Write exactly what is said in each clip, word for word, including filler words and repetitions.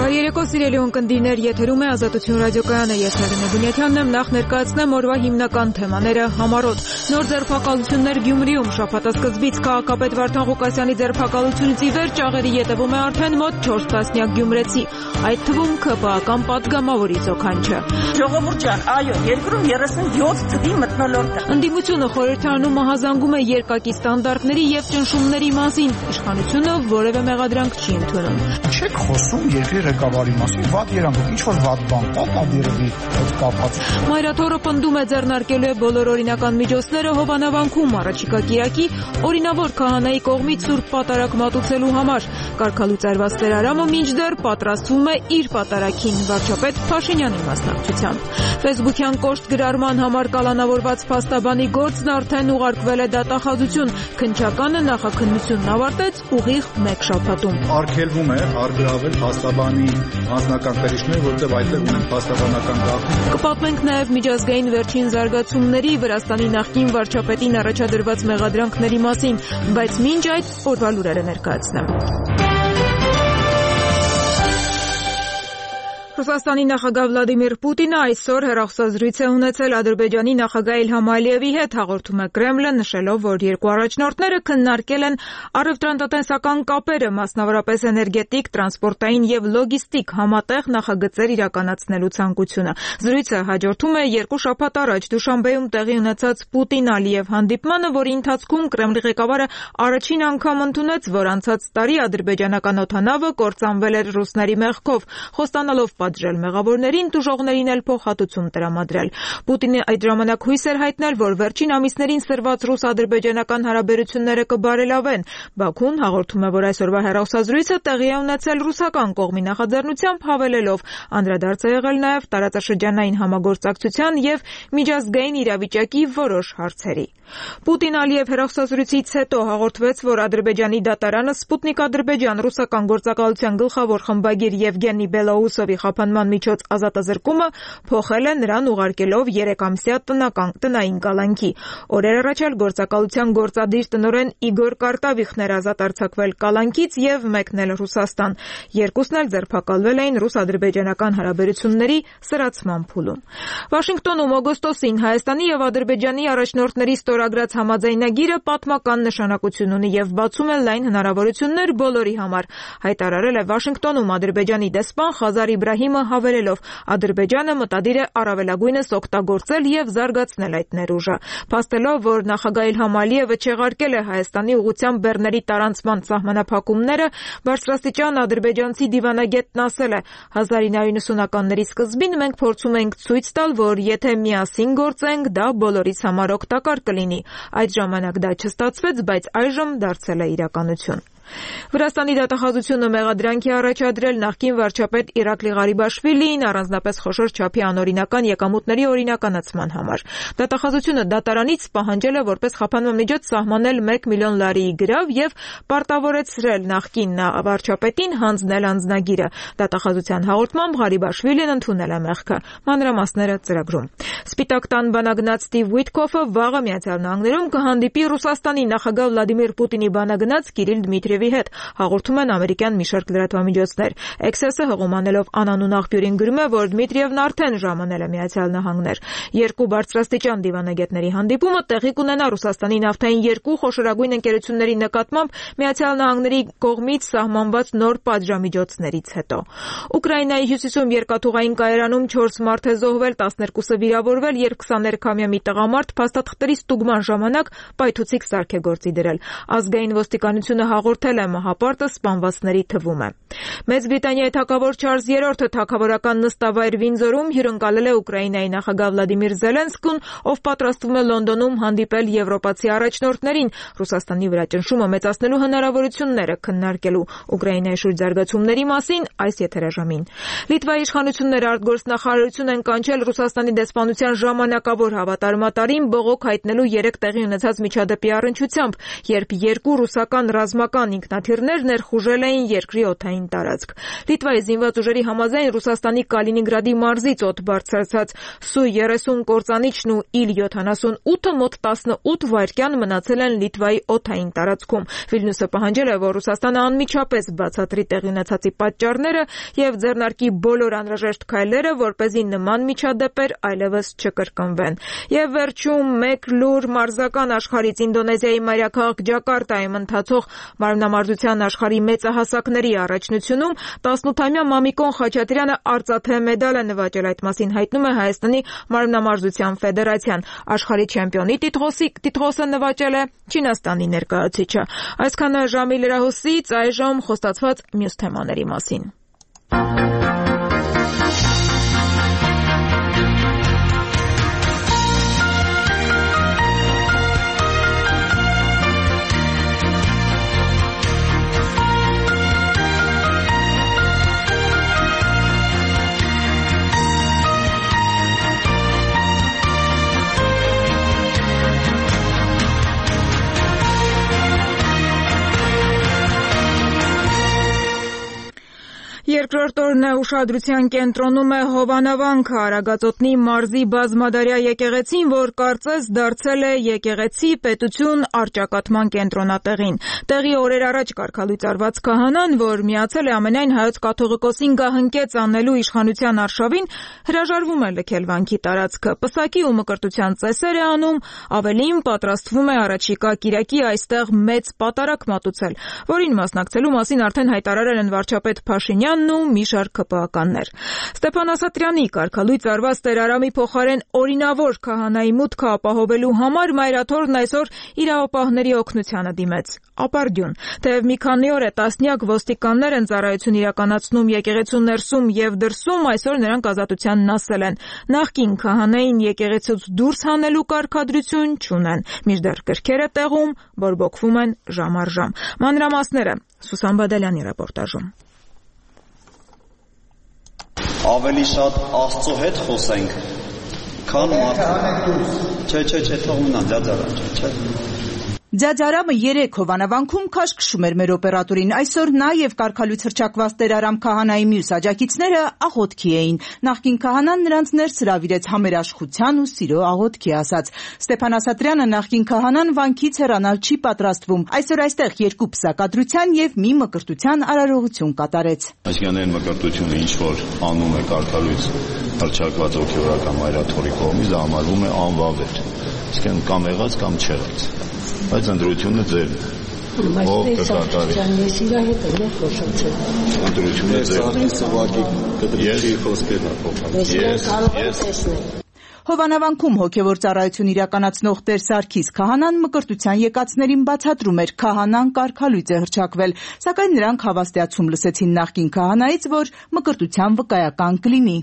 Բարերեկո սիրելի ունկնդիրներ, եթերում է Ազատություն ռադիոկայանը, ես Արինե Բունյաթյանն եմ, նախ ներկայացնեմ օրվա հիմնական թեմաները համառոտ։ Նոր ձերբակալություններ Գյումրիում, շաբաթասկզբից քաղաքապետ Վարդան Ղուկասյանի ձերբակալությունից ի վեր ճաղերի ետևում է արդեն մոտ չորս տասնյակ գյումրեցի, այդ թվում ՔՊԱ-կան պատգամավորի զոքանչը։ Ժողովուրդ ջան, այո, երկրում երեսունյոթ թվի մթնոլորտ է։ Ընդդիմությունը խորհրդարանում մահազանգում է երկակի ստանդարտների եւ ճնշումների մասին, իշխանությունը որևէ մեղադրանք չի ընդունում։ Չեք խոսում երկրի ղեկավարի մասին, վատ երանգով, ինչ որ վատ բան կա, կամ երևի այդ կապած։ Մայրաթորը պնդում է ձեռնարկելու է բոլոր օրինական միջոցները Հովանավանքում առաջիկա կիրակի օրինավոր քահանայի կողմից սուրբ պատարագ մատուցելու համար։ Կարգալուծարված Տերարամը մինչդեռ պատրաստվում է իր պատարագին վարչապետ Փաշինյանի մասնակցությամբ։ Facebook-յան կոշտ գրառման համար կալանավորված փաստաբանի գործն արդեն ուղարկվել է դատախազություն։ Քննչականը նախաքննությունն ավարտեց ուղիղ մեկ շաբաթում։ Արգելվում է արգրավել փաստաբանի անձնական կրիչները, որտեղ այդտեղ ունեն փաստաբանական գաղտնիք։ Կպատմենք նաև միջազգային վերջին զարգացումների, Վրաստանի նախկին վարչապետին առաջադրված մեղադրանքների մասին, բայց մինչ այդ օրվա լուրերը ներկայացնեմ։ Ռուսաստանի նախագահ Վլադիմիր Պուտինը այսօր հեռախոսազրույց է ունեցել Ադրբեջանի նախագահ Իլհամ Ալիևի հետ, հաղորդում է Կրեմլը, նշելով, որ երկու առաջնորդները քննարկել են առևտրատնտեսական կապերը, մասնավորապես էներգետիկ, տրանսպորտային եւ լոգիստիկ համատեղ նախագծեր իրականացնելու ցանկությունը։ Զրույցը հաջորդում է երկու շաբաթ առաջ Դուշանբեում տեղի ունեցած Պուտին-Ալիև հանդիպմանը, որի ընթացքում Կրեմլի ղեկավարը առաջին անգամ ընդունեց, որ անցած տարի ադրբեջանական օդանավը կործանվել էր ռուսների մեղքով, խոստանալով պատժել մեղավորներին, տուժողներին էլ փոխհատուցում տրամադրել։ Պուտինը այդ ժամանակ հույս էր հայտնել, որ վերջին ամիսներին սրված ռուս-ադրբեջանական հարաբերությունները կբարելավեն։ Բաքուն հաղորդում է, որ այսօրվա հեռախոսազրույցը տեղի է ունեցել ռուսական կողմի նախաձեռնությամբ, հավելելով, անդրադարձ է եղել նաև տարածաշրջանային համագործակցության եւ միջազգային իրավիճակի որոշ հարցերի։ Պուտին-Ալիև հեռախոսազրույցից հետո հաղորդվեց, որ Ադրբեջանի դատարանը Սպուտնիկ Ադրբեջան ռուսական գործակալության գլխավոր խմբագիր Եվգենի Բելոուսովի խափանման միջոց ազատազրկումը փոխել է նրան ուղարկելով երեկամսյա տնական տնային կալանքի։ Օրեր առաջ էլ գործակալության գործադիր տնօրեն Իգոր Կարտավիխն էր ազատ արձակվել կալանքից եւ մեկնել Ռուսաստան։ Երկուսն էլ ձերբակալվել էին ռուս-ադրբեջանական հարաբերությունների սրացման փուլում։ Վաշինգտոնում օգոստոսին Հայաստանի եւ Ադրբեջանի առաջնորդների ստորագրած համաձայնագիրը պատմական նշանակություն ունի եւ բացում է լայն հնարավորություններ բոլորի համար, հայտարարել է Վաշինգտոնում Ադրբեջանի դեսպան Խազար Իբրահիմը, հավելելով, Ադրբեջանը մտադիր է առավելագույնս օգտագործել եւ զարգացնել այդ ներուժը։ Փաստելով, որ նախագահ Իլհամ Ալիևը չեղարկել է Հայաստանի ուղղությամբ բեռների տարանցման սահմանափակումները, բարձրաստիճան ադրբեջանցի դիվանագետն ասել է. հազար ինը հարյուր նվթականների սկզբին մենք փորձում ենք ցույց տալ, որ եթե միասին գործենք, դա բոլորիս համար օգտակար կլինի։ Այդ ժամանակ դա չստացվեց, բայց այժմ դարձել է իրականություն։ Վրաստանի դատախազությունը մեղադրանք է առաջադրել նախկին վարչապետ Իրակլի Ղարիբաշվիլիին առանձնապես խոշոր չափի անօրինական եկամուտների օրինականացման համար։ Դատախազությունը դատարանից պահանջել է որպես խափանման միջոց սահմանել մեկ միլիոն լարիի գրավ եւ պարտավորեցրել նախկին վարչապետին հանձնել անձնագիրը։ Դատախազության հաղորդմամբ Ղարիբաշվիլին ընդունել է մեղքը։ Մանրամասները ծրագրում։ Սպիտակ տան բանագնաց Ստիվ Ուիտկոֆը վաղը Միացյալ Նահանգներում կհանդիպի Ռուսաստանի նախագահ Վլադիմիր Պուտինի բանագնաց Կիրիլ Դմիտրիևի հետ, հաղորդում են ամերիկյան մի շարք լրատվամիջոցներ։ Էքսեսը հղումանելով անանուն աղբյուրին գրում է, որ Դմիտրիևն արդեն ժամանել է Միացյալ Նահանգներ։ Երկու բարձրաստիճան դիվանագետների հանդիպումը տեղի կունենա Ռուսաստանի նավթային երկու խոշորագույն ընկերությունների նկատմամբ Միացյալ Նահանգների կողմից սահմանված նոր պատժամիջոցներից հետո։ Ուկրաինայի հյուսիսում երկաթուղային կայարանում չորս մարդ է զոհվել, տասներկուսը վիրավորվել, երբ քսաներկամյա մի տղամարդ փաստաթղթերի ստուգման ժամանակ պայթուցիկ սարք է գործի դրել։ Ազգային ոստիկանությունը հաղորդել է մահապարտը սպանվածների թվում է։ Մեծ Բրիտանիայի թագավոր Չարլզ երրորդը թագավորական նստավայր Վինձորում հյուրընկալել է Ուկրաինայի նախագահ Վլադիմիր Զելենսկուն, ով պատրաստվում է Լոնդոնում հանդիպել եվրոպացի առաջնորդներին, Ռուսաստանի վրա ճնշումը մեծացնելու հնարավորությունները քննարկելու։ Ուկրաինայի շուրջ զարգացումների մասին այս եթերաժամին։ Լիտվայի իշխանությունները արտգործնախարարություն են կանչել Ռուսաստանի դեսպանության ժամանակավոր հավատարմատարին բողոք հայտնելու երեք տեղի ունեցած միջադեպի առնչությամբ, երբ երկու ռուսական ռազմական ինքնաթիռներ ներխուժել էին երկրի օդային տարածք։ Լիտվայի զինված ուժերի համաձայն Ռուսաստանի Կալինինգրադի մարզից օդ բարձրացած Սու երեսուն կործանիչն ու Իլ յոթանասունութը մոտ տասնութ վայրկյան մնացել են Լիտվայի օդային տարածքում։ Վիլնյուսը պահանջել է, որ Ռուսաստանը անմիջապես բացատրի տեղի ունեցածի պատճառները եւ ձեռնարկի բոլոր անհրաժեշտ քայլերը, որպեսզի նման միջադեպեր այլևս չկրկնվեն։ Եվ վերջում մեկ լուր մարզական աշխարհից Ինդոնեզիայի մայրաքաղաք Ջակարտայում ընթացող մարմնամարզության աշխարհի մեծահասակների առաջնությունում տասնութամյա Մամիկոն Խաչատրյանը արծաթե մեդալ է նվաճել, այդ մասին հայտնում է Հայաստանի մարմնամարզության ֆեդերացիան։ Աշխարհի չեմպիոնի տիտղոսը նվաճել է Չինաստանի ներկայացուցիչը։ Այսքանը ժամի լրահոսից, այժմ խոստացված մյուս թեմաների մասին։ Երկրորդ օրն է ուշադրության կենտրոնում է Հովանավանքը, Արագածոտնի մարզի բազմադարյա եկեղեցին, որ կարծես դարձել է եկեղեցի պետություն առճակատման կենտրոնատեղին։ Տեղի օրեր առաջ կարգալույծ արված քահանան, որ միացել է ամենայն հայոց կաթողիկոսին գահընկեց անելու իշխանության արշավին, հրաժարվում է լքել վանքի տարածքը, պսակի ու մկրտության ծեսեր է անում, ավելին պատրաստվում է առաջիկա կիրակի այստեղ մեծ պատարակ մատուցել, որին մասնակցելու մասին արդեն հայտարարել են վարչապետ Փաշինյանն ու մի շարք ԿՊԱ-կաններ։ Ստեփան Ասատրյանի կարգալույծ արված Տեր Արամի փոխարեն օրինավոր քահանայի մուտքը ապահովելու համար Մայրաթորն այսօր իրավապահների օգնությանը դիմեց։ Ապարդյուն, թեև մի քանի օր է տասնյակ ոստիկաններ են ծառայություն իրականացնում եկեղեցու ներսում եւ դրսում, այսօր նրանք ազատությանն ասել են։ Նախկին քահանային եկեղեցուց դուրս հանելու կարգադրություն չունեն։ Մինչդեռ կրքերը տեղում բորբոքվում են ժամ առ ժամ։ Մանրամասները Սուսան Բադալյանի ռեպորտաժում։ Ավելի շատ Աստծո հետ խոսենք, քան մարդու։ Չէ, չէ, չէ, թողնա, ձյաձարա, չէ։ Ձյաձարամը երեք Հովանավանքում քաշքշում էր մեր օպերատորին։ Այսօր նա եւ կարգալույց հռչակված Տեր Արամ քահանայի մյուս աջակիցները աղոթքի էին։ Նախկին քահանան նրանց ներս հրավիրեց համերաշխության ու սիրո աղոթքի ասած։ Ստեփան Ասատրյանը նախկին քահանան վանքից հեռանալ չի պատրաստվում։ Այսօր այստեղ երկու պսակադրության եւ մի մկրտության արարողություն կատարեց։ Այսինքն այն մկրտությունը, ինչ որ անում է կարգալույց հռչակված հոգեորական Մայրաթորի կողմից, դա համարվում է անվավեր։ Իսկեն կամ եղած կամ չեղած։ Բայց ընտրությունը ձերն է։ Ով կկատարի։ Ընտրությունը ձերն է։ Հովանավանքում հոգևոր ծառայություն իրականացնող Տեր Սարգիս քահանան մկրտության եկածներին բացատրում էր քահանան կարգալույծ է հռչակվել, սակայն նրանք հավաստիացում լսեցին նախկին քահանայից, որ մկրտության վկայական կլինի։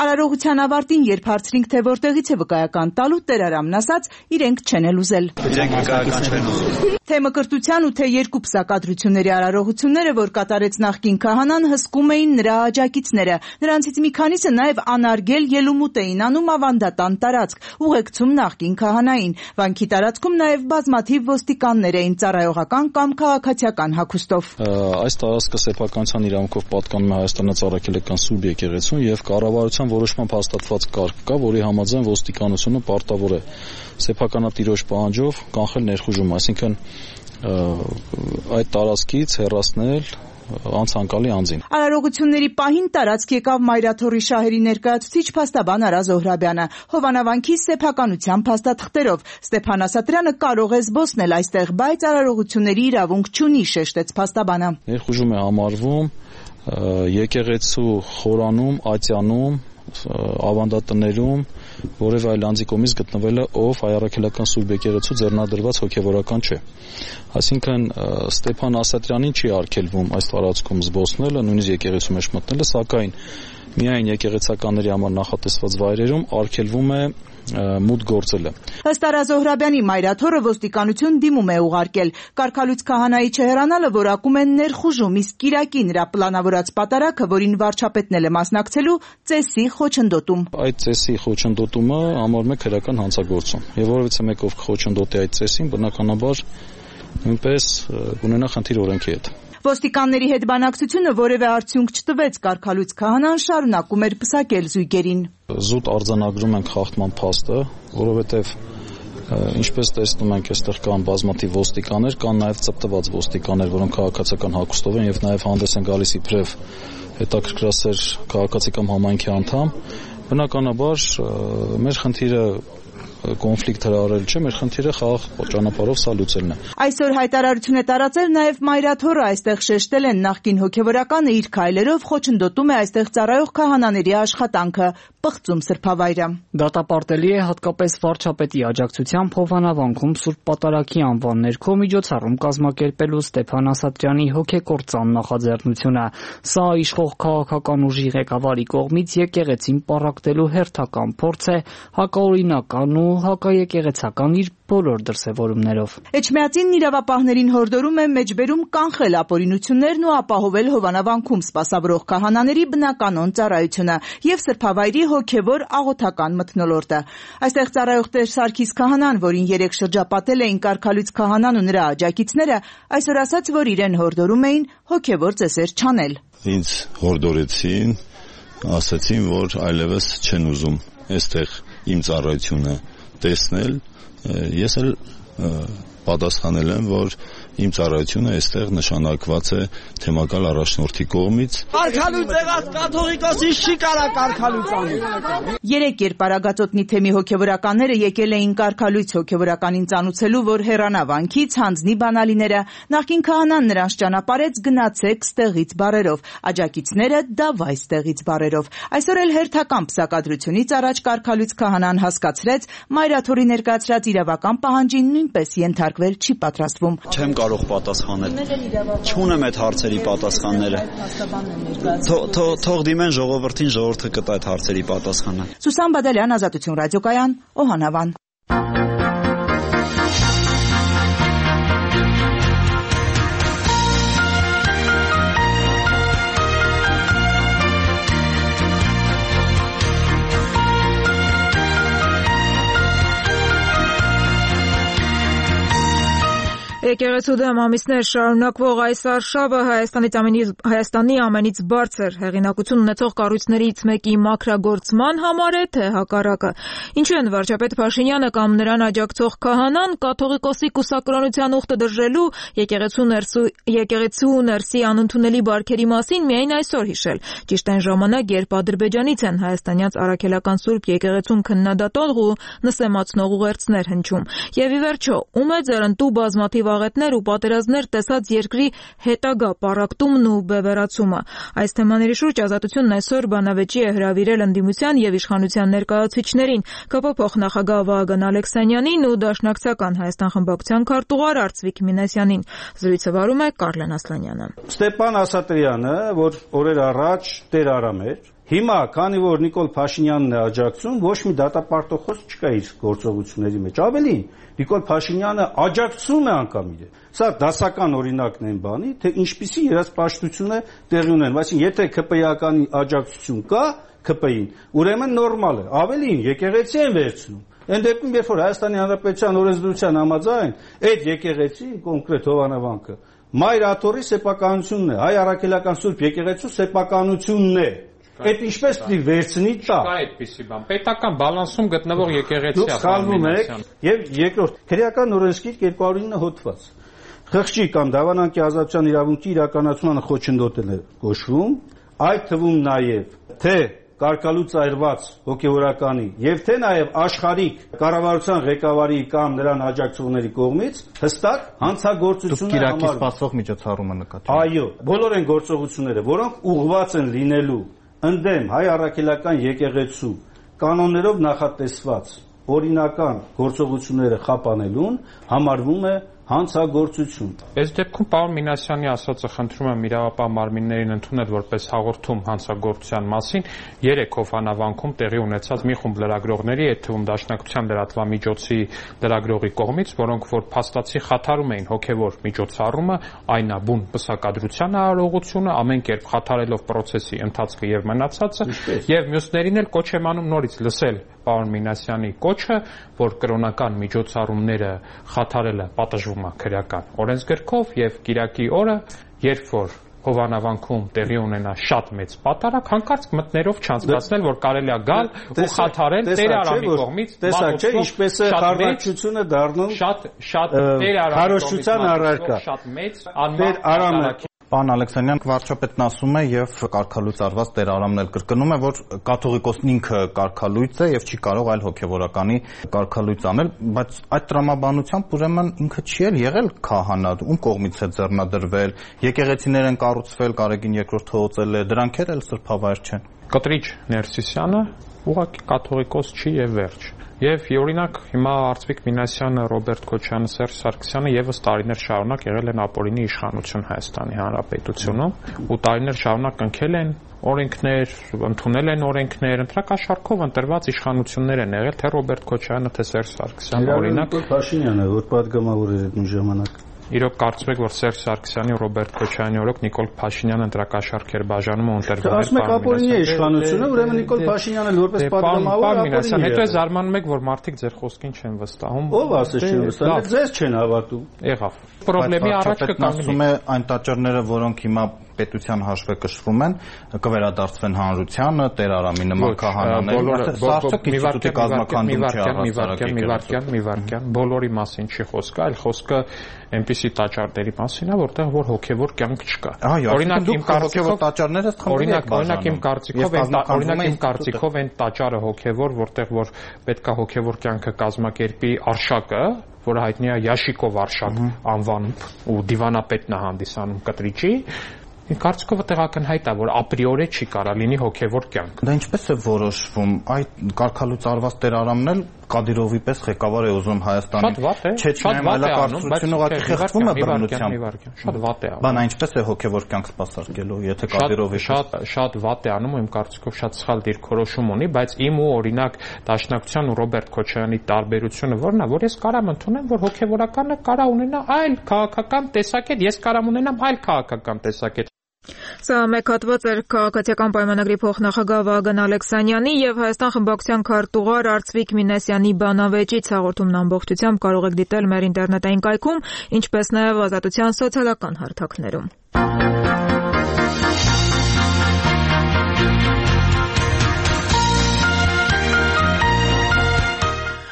Արարողության ավարտին, երբ հարցրինք, թե որտեղից է վկայական տալու, Տեր Արամն ասաց, իրենք չեն էլ ուզել։ Իրենք վկայական չեն ուզել։ Թե մկրտության ու թե երկու պսակադրությունների արարողությունները, որ կատարեց նախկին քահանան, հսկում էին նրա աջակիցները։ Նրանցից մի քանիսը նաև անարգել ելումուտ էին անում ավանդատան տարածք, ուղեկցում նախկին քահանային։ Վանքի տարածքում նաև բազմաթիվ ոստիկաններ էին ծառայողական կամ քաղաքացիական հագուստով։ Այս տարածքը սեփականության իրավունքով պատկանում է Հայաստանի Ծառայեկելական Սուրբ եկեղեցուն եւ կառավարության որոշմամբ հաստատված կարգ կա, որի համաձայն ոստիկանությունը պարտավոր է սեփականատիրոջ պահանջով կանխել ներխուժում, այսինքն այդ տարածքից հեռացնել անցանկալի անձին։ Արարողությունների պահին տարածք եկավ Մայրաթորի շահերի ներկայացուցիչ փաստաբան Արա Զոհրաբյանը։ Հովանավանքի սեփականության փաստաթղթերով Ստեփան Ասատրյանը կարող է զբոսնել այստեղ, բայց արարողությունների իրավունք չունի, շեշտեց փաստաբանը։ Ներխուժում է համարվում եկեղեցու խորանում, ատյանում, ավանդատներում որևէ այլ անձի կողմից գտնվելը, ով հայ առաքելական Սուրբ եկեղեցու ձեռնադրված հոգևորական չէ։ Այսինքն Ստեփան Ասատրյանին չի արգելվում այս տարածքում զբոսնելը, նույնիսկ եկեղեցու մեջ մտնելը, սակայն միայն եկեղեցականների համար նախատեսված վայրերում արգելվում է մուտք գործելը։ Ըստ Արա Զոհրաբյանի Մայրաթորը ոստիկանություն դիմում է ուղարկել։ Կարգալույց քահանայի չհեռանալը որակում են ներխուժում, իսկ կիրակի նրա պլանավորած պատարակը, որին վարչապետն էլ է մասնակցելու, ծեսի խոչընդոտում։ Այդ ծեսի խոչընդոտումը համարվում է քրեական հանցագործում։ Եվ որովհետեւ մեկով խոչընդոտի այդ ծեսին, բնականաբար նույնպես կունենա խնդիր օրենքի հետ։ Ոստիկանների հետ բանակցությունը որևէ արդյունք չտվեց, կարգալույց քահանան շարունակում էր պսակել զույգերին։ Զուտ արձանագրում ենք խախտման փաստը, որովհետև ինչպես տեսնում ենք, այստեղ կան բազմաթիվ ոստիկաններ, կան նաև ծպտված ոստիկաններ, որոնք քաղաքացիական հագուստով են եւ նաև հանդես են գալիս իբրև հետաքրքրասեր քաղաքացի կամ համայնքի անդամ։ Բնականաբար մեր խնդիրը կոնֆլիկտ հրահարել չէ, մեր խնդիրը խաղաղ ճանապարհով սա լուծելն է։ Այսօր հայտարարություն է տարածել նաև Մայրաթորը, այստեղ շեշտել են նախկին հոգևորականը իր քայլերով խոչընդոտում է այստեղ ծառայող քահանաների աշխատանքը, պղծում սրբավայրը։ Դատապարտելի է հատկապես վարչապետի աջակցությամբ Հովանավանքում Սուրբ Պատարագի անվան ներքո միջոցառում կազմակերպելու Ստեփան Ասատրյանի հոգեկործան նախաձեռնությունը։ Սա իշխող քաղաքական ուժի ղեկավարի կողմից եկեղեցին պառակտելու հերթական փորձ է հակաօրինական ու հակաեկեղեցական իր բոլոր դրսևորումներով։ Էջմիածինն իրավապահներին հորդորում է մեջբերում կանխել ապօրինություններն ու ապահովել Հովանավանքում սպասավորող քահանաների բնականոն ծառայությունը եւ սրբավայրի հոգեվոր աղոթական մթնոլորտը։ Այստեղ ծառայող Տեր Սարգիս քահանան, որին երեք շրջապատել էին կարգալույց քահանան ու նրա աջակիցները, այսօր ասաց, որ իրեն հորդորում էին հոգեվոր ծեսեր չանել։ Ինձ հորդորեցին, ասացին, որ այլևս չեն ուզում այստեղ իմ ծառայությունը տեսնել, ես էլ պատասխանել եմ, որ իմ ծառայությունը այստեղ նշանակված է թեմակալ առաջնորդի կողմից։ Կարգալույց եղած կաթողիկոսի չի կարա կարգալույց անի։ Երեք երկպարագածոտնի թեմի հոգևորականները եկել էին կարգալույց հոգևորականին ծանուցելու, որ հեռանա վանքից, հանձնի բանալիները, նախկին քահանան նրանց ճանապարհեց գնացեք ստեղից բարերով, աջակիցները դավայ ստեղից բարերով։ Այսօր էլ հերթական պսակադրությունից առաջ կարգալույց քահանան հասկացրեց, Մայրաթորի ներկայացրած իրավական պահանջին նույնպես ենթարկվել չի պատրաստվում։ Չեմ կարող պատասխանել։ Չունեմ այդ հարցերի պատասխանները։ Թող դիմեն ժողովրդին, ժողովուրդը կտա այդ հարցերի պատասխանը։ Սուսան Բադալյան, Ազատություն ռադիոկայան, Օհանավան։ Եկեղեցու դեմ ամիսներ շարունակվող այս արշավը Հայաստանից ամենից Հայաստանի ամենից բարձր հեղինակություն ունեցող կառույցներից մեկի մաքրագործման համար է, թե հակառակը։ Ինչու են վարչապետ Փաշինյանը կամ նրան աջակցող քահանան կաթողիկոսի կուսակրոնության ուխտը դրժելու եկեղեցու ներսու եկեղեցու ներսի անընդունելի բարքերի մասին միայն այսօր հիշել։ Ճիշտ այն ժամանակ, երբ Ադրբեջանից են հայաստանյաց առաքելական Սուրբ եկեղեցուն քննադատող ու նսեմացնող ուղերձներ հնչում։ Եվ ի վերջո, ում է ձեռնտու բազմաթիվ աղետներ ու պատերազմներ տեսած երկրի հետագա պառակտումն ու բևեռացումը։ Այս թեմաների շուրջ Ազատությունն այսօր բանավեճի է հրավիրել ընդդիմության եւ իշխանության ներկայացուցիչներին, ԿՊ փոխնախագահ Վահագն Ալեքսանյանին ու Դաշնակցական Հայաստան խմբակցության քարտուղար Արծվիկ Մինասյանին։ Զրույցը վարում է Կարլեն Ասլանյանը։ Ստեփան Ասատրյանը, որ օրեր առաջ Տեր Արամ էր, հիմա, քանի որ Նիկոլ Փաշինյանն է աջակցում, ոչ մի դատապարտող չկա իր գործողությունների մեջ։ Ավելին, Նիկոլ Փաշինյանը աջակցում է անգամ իրեն։ Սա դասական օրինակն են բանի, թե ինչպիսի երասպաշտություն է տեղի ունեն։ Այսինքն, եթե ԿՊ-յականի աջակցություն կա ԿՊ-ին, ուրեմն նորմալ է։ Ավելին, եկեղեցի են վերցնում։ Այն դեպքում, երբ որ Հայաստանի Հանրապետության օրենսդրության համաձայն այդ եկեղեցի, կոնկրետ Հովանավանքը, Մայրաթորի սեփականությունն է, հայ առաքելական Սուրբ եկեղեցու սեփականությունն է։ Այդ ինչպես պիտի վերցնի տա։ Չկա այդպիսի բան։ Պետական բալանսում գտնվող եկեղեցի է։ Սխալվում եք։ Եվ երկրորդ, քրեական օրենսգիր երկու հարյուր ինը հոդված։ Խղճի կամ դավանանքի ազատության իրավունքի իրականացմանը խոչընդոտել է գոչվում, այդ թվում նաև թե կարգալուց այրված հոգևորականի եւ թե նաև աշխարհիկ կառավարության ղեկավարի կամ նրան աջակցողների կողմից հստակ հանցագործություն է համարվում։ Կիրակի սպասող միջոցառումը նկատի։ Այո, բոլոր այն գործողությունները, որոնք ուղղված են լինելու ընդդեմ հայ առաքելական եկեղեցու կանոններով նախատեսված օրինական գործողությունները խափանելուն համարվում է հանցագործություն։ Այս դեպքում պարոն Մինասյանի ասածը խնդրում եմ իրավապահ մարմիններին ընդունել որպես հաղորդում հանցագործության մասին երեք Հովանավանքում տեղի ունեցած մի խումբ լրագրողների, այդ թվում Դաշնակցության լրատվամիջոցի լրագրողի կողմից, որոնք որ փաստացի խաթարում էին հոգևոր միջոցառումը, այնաբուն պսակադրության արարողությունը, ամեն կերպ խաթարելով process-ի ընթացքը եւ մնացածը, եւ մյուսներին էլ կոչ եմ անում նորից լսել պարոն Մինասյանի կոչը, որ կրոնական միջոցառումները խաթարելը պատժվում կոչվում է քրեական օրենսգրքով եւ կիրակի օրը, երբ որ Հովանավանքում տեղի ունենա շատ մեծ պատարագ, հանկարծ մտներով չանցկացնել, որ կարելի է գալ ու խաթարել Տեր Արամի կողմից տեսակ չէ, ինչպես է խարդաչությունը դառնում շատ շատ Տեր Արամի կողմից շատ մեծ անմար Պարոն Ալեքսանյան, վարչապետն ասում է եւ կարգալույծ արված Տեր Արամն էլ կրկնում է, որ կաթողիկոսն ինքը կարգալույծ է եւ չի կարող այլ հոգեվորականի կարգալույծ անել, բայց այդ տրամաբանությամբ ուրեմն ինքը չի էլ եղել քահանա, ում կողմից է ձեռնադրվել, եկեղեցիներ են կառուցվել, Կարեգին երկրորդ հողոցել է, դրանք էլ սրբավայր չեն։ Կտրիչ Ներսիսյանը ուղղակի կաթողիկոս չի եւ վերջ։ Եվ օրինակ հիմա Արծվիկ Մինասյանը, Ռոբերտ Քոչյանը, Սերժ Սարգսյանը եւս տարիներ շարունակ եղել են ապօրինի իշխանություն Հայաստանի Հանրապետությունում ու տարիներ շարունակ ընկել են օրենքներ, ընդունել են օրենքներ, ընտրակաշառքով ընտրված իշխանություններ են եղել, թե Ռոբերտ Քոչյանը, թե Սերժ Սարգսյանը, օրինակ Փաշինյանը, որ падգամավոր էր այդ ժամանակ։ Իրոք կարծում եք, որ Սերժ Սարգսյանի ու Ռոբերտ Քոչյանի օրոք Նիկոլ Փաշինյանը ընտրակաշառք էր բաժանում ու ընտրվում էր։ Ասում եք ապօրինի է իշխանությունը, ուրեմն Նիկոլ Փաշինյանը որպես падգամավոր ապօրինի է։ Հետո զարմանում եք, որ մարդիկ ձեր խոսքին չեն վստահում։ Ո՞վ ասես չեն վստահում, ձեզ չեն հավատում։ Եղավ։ Պրոբլեմի առաջ կկանգնի։ Ասում է այն տաճարները, որոնք հիմա պետության հաշվեկշռում են, կվերադարձվեն հանրությանը, Տեր Արամի նման քահանաներ։ Սա արդյոք ինստիտուտի կազմակերպում չի առհասարակ եկել։ Մի վարքյան, բոլորի մասին չի խոսքը, այլ խոսքը այնպիսի տաճարների մասին է, որտեղ որ հոգևոր կյանք չկա։ Օրինակ իմ կարծիքով տաճարները Օրինակ, օրինակ իմ կարծիքով այն օրինակ իմ կարծիքով այն տաճարը հոգևոր, որտեղ որ պետքա հոգևոր կյանքը կազմակերպի Արշակը, որը հայտնի է Յաշիկով Արշակ անվանով ու դիվանապետն է հանդիսանում Կտրիչի, կարծիքով տեղակնհայտ է, որ ապրիորե չի կարա լինի հոգևոր կյանք։ Դա ինչպես է որոշվում։ Այդ կարգալույծ արված Տեր Արամն էլ Կադիրովի պես ղեկավար է ուզում Հայաստանի։ Չէ, շատ վատ է անում, բայց ուղղակի խեղդվում է բռնությամբ։ Շատ վատ է անում։ Բան այնպես է հոգևոր կյանք սպասարկելու, եթե Կադիրովի շատ շատ վատ է անում, իմ կարծիքով շատ սխալ դիրքորոշում ունի, բայց իմ ու օրինակ Դաշնակցության ու Ռոբերտ Քոչյանի տարբերությունը որն է, որ ես կարամ ընդունեմ, որ հոգևորականը կարա ունենա այլ քաղաքական տեսակետ, ես կարամ ունենամ այլ քաղաքական տեսակետ։ Սա մեկ հատված էր քաղաքացիական պայմանագրի փոխնախագահ Վագն Ալեքսանյանի եւ Հայաստան խմբակցության քարտուղար Արծվիկ Մինասյանի բանավեճից հաղորդումն ամբողջությամբ կարող եք դիտել մեր ինտերնետային կայքում, ինչպես նաեւ Ազատության սոցիալական հարթակներում։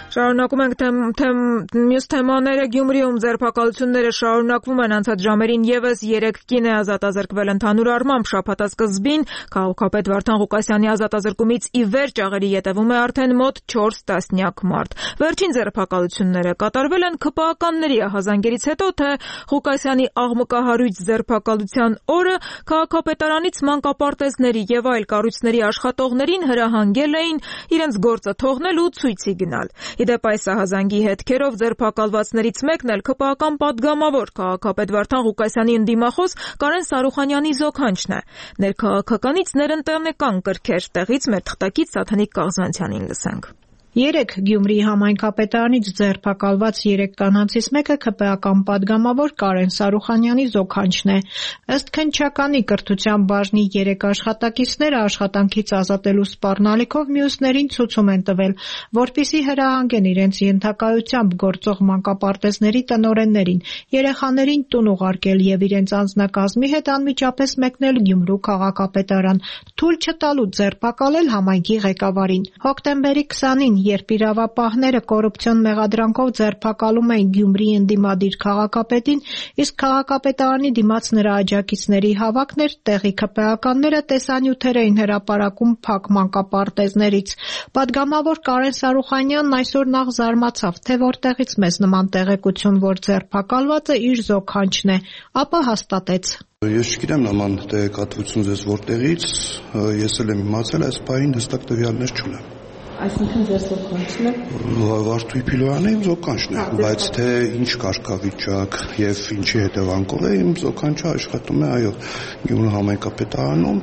Շարունակում ենք թեմ, թեմ, մյուս թեմաները Գյումրիում ձերբակալությունները շարունակվում են անցած ժամերին եւս երեք կին է ազատազրկվել ընդհանուր առմամբ շաբաթասկզբին քաղաքապետ Վարդան Ղուկասյանի ազատազրկումից ի վեր ճաղերի ետևում է արդեն մոտ չորս տասնյակ մարդ։ Վերջին ձերբակալությունները կատարվել են ՔՊԱ-ականների ահազանգերից հետո, թե Ղուկասյանի աղմկահարույց ձերբակալության օրը քաղաքապետարանից մանկապարտեզների եւ այլ կառույցների աշխատողներին հրահանգել էին իրենց գործը թողնել ու ցույցի գնալ։ Իդեպ այս ահազանգի հետքերով ձերբակալվածներից մեկն էլ ՔՊԱ-ական падգամավոր քաղաքապետ Վարդան Ղուկասյանի ընդդիմախոս Կարեն Սարուխանյանի զոքանչն է։ Ներքաղաքականից ներընտենեկան կրքեր տեղից մեր թղթակից Սաթանիկ Կաղզանցյանին լսենք։ Երեք Գյումրիի համայնքապետարանից ձերբակալված երեք կանանցից մեկը ՔՊԱ-ական падգամավոր Կարեն Սարուխանյանի զոքանչն է։ Ըստ քննչականի կրթության բաժնի երեք աշխատակիցները աշխատանքից ազատելու սպառնալիքով մյուսներին ցուցում են տվել, որպեսզի հրահանգեն իրենց ենթակայությամբ գործող մանկապարտեզների տնօրեններին, երեխաներին տուն ուղարկել եւ իրենց անձնակազմի հետ անմիջապես մեկնել Գյումրու քաղաքապետարան, թույլ չտալու ձերբակալել համայնքի ղեկավարին։ Հոկտեմբերի քսանին երբ իրավապահները կոռուպցիոն մեղադրանքով ձերբակալում էին Գյումրիի ընդդիմադիր քաղաքապետին, իսկ քաղաքապետարանի դիմաց նրա աջակիցների հավաքն էր, տեղի ՔՊԱ-ականները տեսանյութեր էին հրապարակում փակ մանկապարտեզներից։ Պատգամավոր Կարեն Սարուխանյանն այսօր նախ զարմացավ, թե որտեղից մեզ նման տեղեկություն, որ ձերբակալվածը իր զոքանչն է, ապա հաստատեց. Ես չգիտեմ նման տեղեկատվություն ձեզ որտեղից, ես էլ եմ իմացել, այս պահին հստակ տվյալներ չունեմ։ Այսինքն ձեր զոքանչն է։ Վարդուհի Փիլոյանի իմ զոքանչն է, բայց թե ինչ կարգավիճակ եւ ինչի հետևանքով է իմ զոքանչը աշխատում է, այո, Գյումրու համայնքապետարանում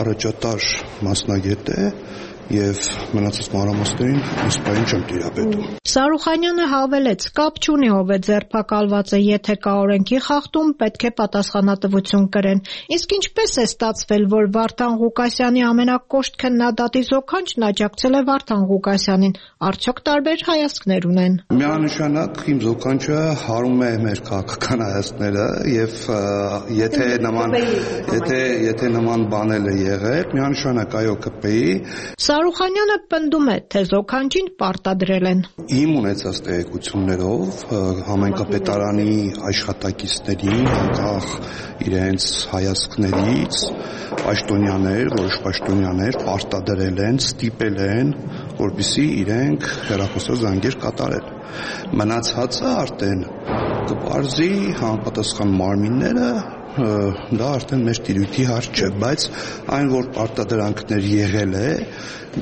առաջատար մասնագետ է եւ մնացած մանրամասներին իսպային չեմ տիրապետում։ Սարուխանյանը հավելեց, կապ չունի ով է ձերբակալված է, եթե կա օրենքի խախտում, պետք է պատասխանատվություն կրեն։ Իսկ ինչպես է ստացվել, որ Վարդան Ղուկասյանի ամենակոշտ քննադատի զոքանչն աջակցել է Վարդան Ղուկասյանին, արդյոք տարբեր հայացքներ ունեն։ Միանշանակ իմ զոքանչը հարում է մեր քաղաքական հայացքները եւ եթե նման եթե եթե նման բանել է եղել, միանշանակ այո կպեի։ Սարուխանյանը պնդում է, թե զոքանչին պարտադրել են։ Իմ ունեցած տեղեկություններով համայնքապետարանի աշխատակիցների անկախ իրենց հայացքներից պաշտոնյաներ, որոշ պաշտոնյաներ պարտադրել են, ստիպել են, որպեսզի իրենք հեռախոսազանգեր կատարեն։ Մնացածը արդեն կպարզի համապատասխան մարմինները, դա արդեն մեր տիրույթի հարց չէ, բայց այն որ պարտադրանքներ եղել է,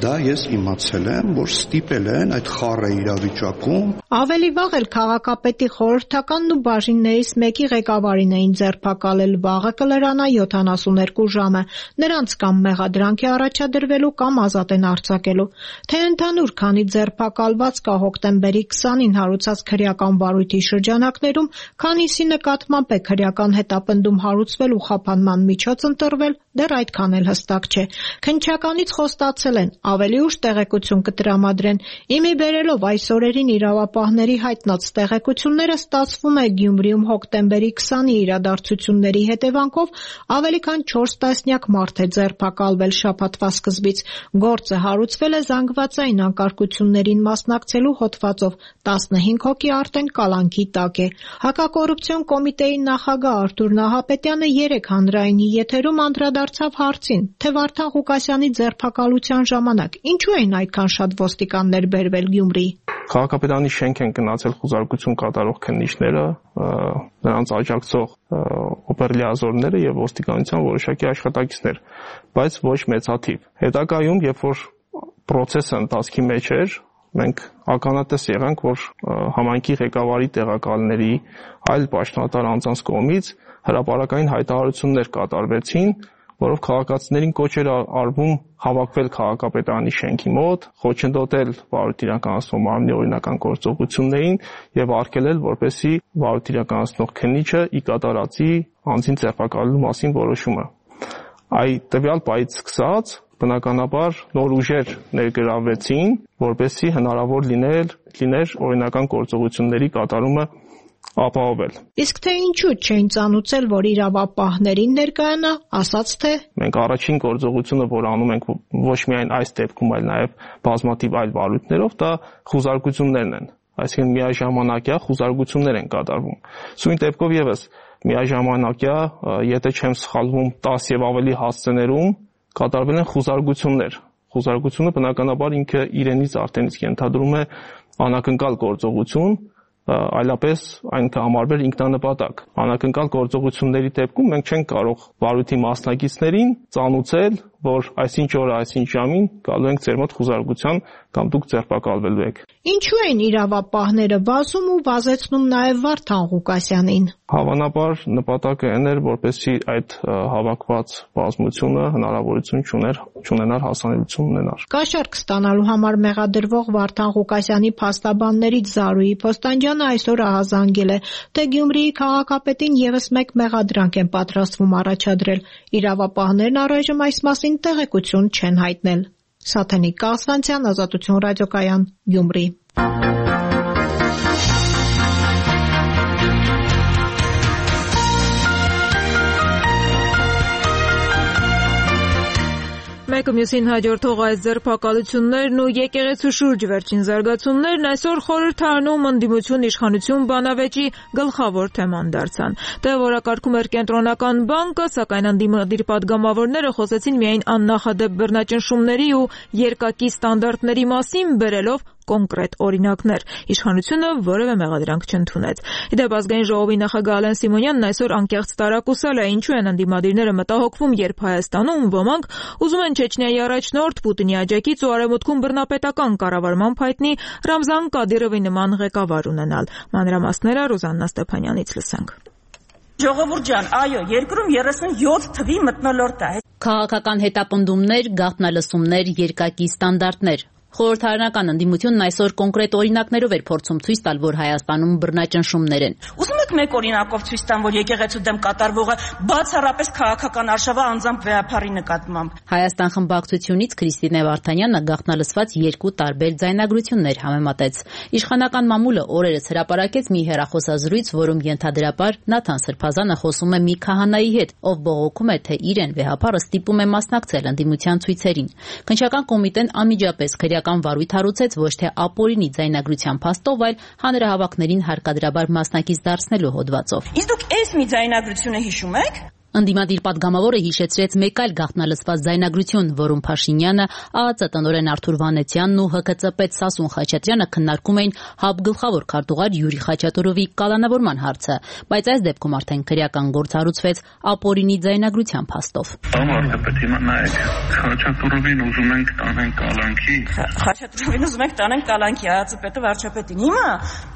դա ես իմացել եմ, որ ստիպել են այդ խառը իրավիճակում։ Ավելի վաղ էլ քաղաքապետի խորհրդականն ու բաժիններից մեկի ղեկավարին էին ձերբակալել, վաղը կլրանա յոթանասուներկու ժամը, նրանց կամ մեղադրանք է առաջադրվելու կամ ազատ են արձակելու։ Թե ընդհանուր քանի ձերբակալված կա հոկտեմբերի քսանին հարուցած քրեական վարույթի շրջանակներում, քանիսի նկատմամբ է քրեական հետապնդում հարուցվել ու խափանման միջոց ընտրվել, դեռ այդքան էլ հստակ չէ։ Քննչականից խոստացել են, ավելի ուշ տեղեկություն կտրամադրեն։ Իմի բերելով այս օրերին իրավապահների հայտնած տեղեկությունները, ստացվում է Գյումրիում հոկտեմբերի քսանի իրադարձությունների հետևանքով ավելի քան չորս տասնյակ մարդ է ձերբակալվել շաբաթվա սկզբից։ Գործը հարուցվել է զանգվածային անկարգություններին մասնակցելու հոդվածով, տասնհինգ հոգի արդեն կալանքի տակ է։ Հակակոռուպցիոն կոմիտեի նախագահ Արթուր Նահապետյանը երեկ հանրայինի եթերում անդրադարձավ հարցին, թե Վարդան Ղուկասյանի ձերբակալության ժամանակ ինչու էին այդքան շատ ոստիկաններ բերվել Գյումրի։ Քաղաքապետարանի շենք են գնացել խուզարկություն կատարող քննիչները, նրանց աջակցող օպերլիազորները եւ ոստիկանության որոշակի աշխատակիցներ, բայց ոչ մեծաթիվ։ Հետագայում, երբ որ process-ը ընթացքի մեջ էր, մենք ականատես եղանք, որ համայնքի ղեկավարի տեղակալների այլ պաշտոնատար անձանց կողմից հրապարակային հայտարարություններ կատարվեցին, որով քաղաքացիներին կոչ էր արվում հավաքվել քաղաքապետարանի շենքի մոտ, խոչընդոտել վարույթ իրականացնող մարմնի օրինական գործողություններին եւ արգելել, որպեսզի վարույթ իրականացնող քննիչը ի կատարածի անձին ձերբակալելու մասին որոշումը։ Այդ տվյալ պահից սկսած բնականաբար նոր ուժեր ներգրավվեցին, որպեսզի հնարավոր լինել լիներ օրինական գործողությունների կատարումը ապահովել։ Իսկ թե ինչու չէին ծանուցել, որ իրավապահներին ներկայանա, ասաց թե մենք առաջին գործողությունը, որ անում ենք ոչ միայն այս դեպքում, այլ նաև բազմաթիվ այլ վարույթներով, դա խուզարկություններն են, այսինքն միաժամանակյա խուզարկություններ են կատարվում։ Սույն դեպքով եւս միաժամանակյա, եթե չեմ սխալվում, տասը եւ ավելի հասցեներում կատարվել են խուզարկություններ։ Խուզարկությունը բնականաբար ինքը իրենից արդեն իսկ ենթադրում է անակնկալ գործողություն, այլապես այն կհամարվեր ինքնանպատակ։ Անակնկալ գործողությունների դեպքում մենք չենք կարող վարույթի մասնակիցներին ծանուցել, որ այսինչ օրը, այսինչ ժամին գալու ենք ձեր մոտ խուզարկության կամ դուք ձերբակալվելու եք։ Ինչու են իրավապահները վազում ու վազեցնում նաև Վարդան Ղուկասյանին։ Հավանաբար նպատակը այն էր, որպեսզի այդ հավաքված բազմությունը հնարավորություն չուներ, չունենար հասանելիություն ունենար։ Կաշառք ստանալու համար մեղադրվող Վարդան Ղուկասյանի փաստաբաններից Զարուհի Փոստանջյանը այսօր ահազանգել է, թե Գյումրիի քաղաքապետին եւս մեկ մեղադրանք են պատրաստվում առաջադրել։ Իրավապահներն առայժմ այս մասին տեղեկություն չեն հայտնել։ Սաթենիկ Կասվանցյան, Ազատություն ռադիոկայան, Գյումրի։ Մեկը մյուսին հաջորդող այս ձերբակալություններն ու եկեղեցու շուրջ վերջին զարգացումներն այսօր խորհրդարանում ընդդիմություն իշխանություն բանավեճի գլխավոր թեման դարձան։ Դե որակարգում էր կենտրոնական բանկը, սակայն ընդդիմադիր падգամավորները խոսեցին միայն աննախադեպ բռնաճնշումների ու երկակի ստանդարտների մասին, բերելով կոնկրետ օրինակներ։ Իշխանությունը որևէ մեղադրանք չընդունեց։ Իդեպ ազգային ժողովի նախագահ Ալեն Սիմոնյանն այսօր անկեղծ տարակուսել է, ինչու են ընդդիմադիրները մտահոգվում, երբ Հայաստանում ոմանք ուզում են Չեչնիայի առաջնորդ Պուտինի աջակից ու արևմուտքում բռնապետական կառավարման հայտնի Ռամզան Կադիրովի նման ղեկավար ունենալ։ Մանրամասները Ռուզաննա Ստեփանյանից լսենք։ Ժողովուրդ ջան, այո, երկրում երեսունյոթ թվի մթնոլորտ է։ Քաղաքական հետապնդումներ, գաղտնալսումներ, երկակի ստանդարտներ։ Խորհրդարանական ընդդիմությունն այսօր կոնկրետ օրինակներով էր փորձում ցույց տալ, որ Հայաստանում բռնաճնշումներ են։ Ուզում եք մեկ օրինակով ցույց տամ, որ եկեղեցու դեմ կատարվողը բացառապես քաղաքական արշավը անձամբ վեհապարի նկատմամբ։ Հայաստան խմբակցությունից Քրիստինե Վարդանյանը գաղտնալսված երկու տարբեր ձայնագրություններ համեմատեց։ Իշխանական մամուլը օրերս հրապարակեց մի հեռախոսազրույց, որում ենթադրաբար Նաթան Սրբազանը խոսում է մի քահանայի հետ, ով բողոքում է, թե իրեն վեհապարը ստիպում է մասնակցել ընդդիմության ցույցերին։ Քննչական կոմիտեն անմիջապես քրեական վարույթ հարուցեց ոչ թե ապօրինի ձայնագրության փաստով, այլ հանրահավաքներին հարկադրաբար մասնակից դարձնելու հոդվածով։ Իսկ դուք այս մի ձայնագրությունը հիշում եք։ Ընդդիմադիր պատգամավորը հիշեցրեց մեկ այլ գաղտնալսված ձայնագրություն, որում Փաշինյանը, ԱԱԾ տնօրեն Արթուր Վանեցյանն ու ՀԿՑ պետ Սասուն Խաչատրյանը քննարկում էին ՀԱԲ գլխավոր քարտուղար Յուրի Խաչատուրովի կալանավորման հարցը, բայց այս դեպքում արդեն քրեական գործ հարուցվեց ապօրինի ձայնագրության փաստով։ Վարչապետ, հիմա նայեք, Խաչատուրովին ուզում ենք տանեն կալանքի։ Խաչատուրովին ուզում ենք տանեն կալանքի, ԱԱԾ պետը վարչապետին։ Հիմա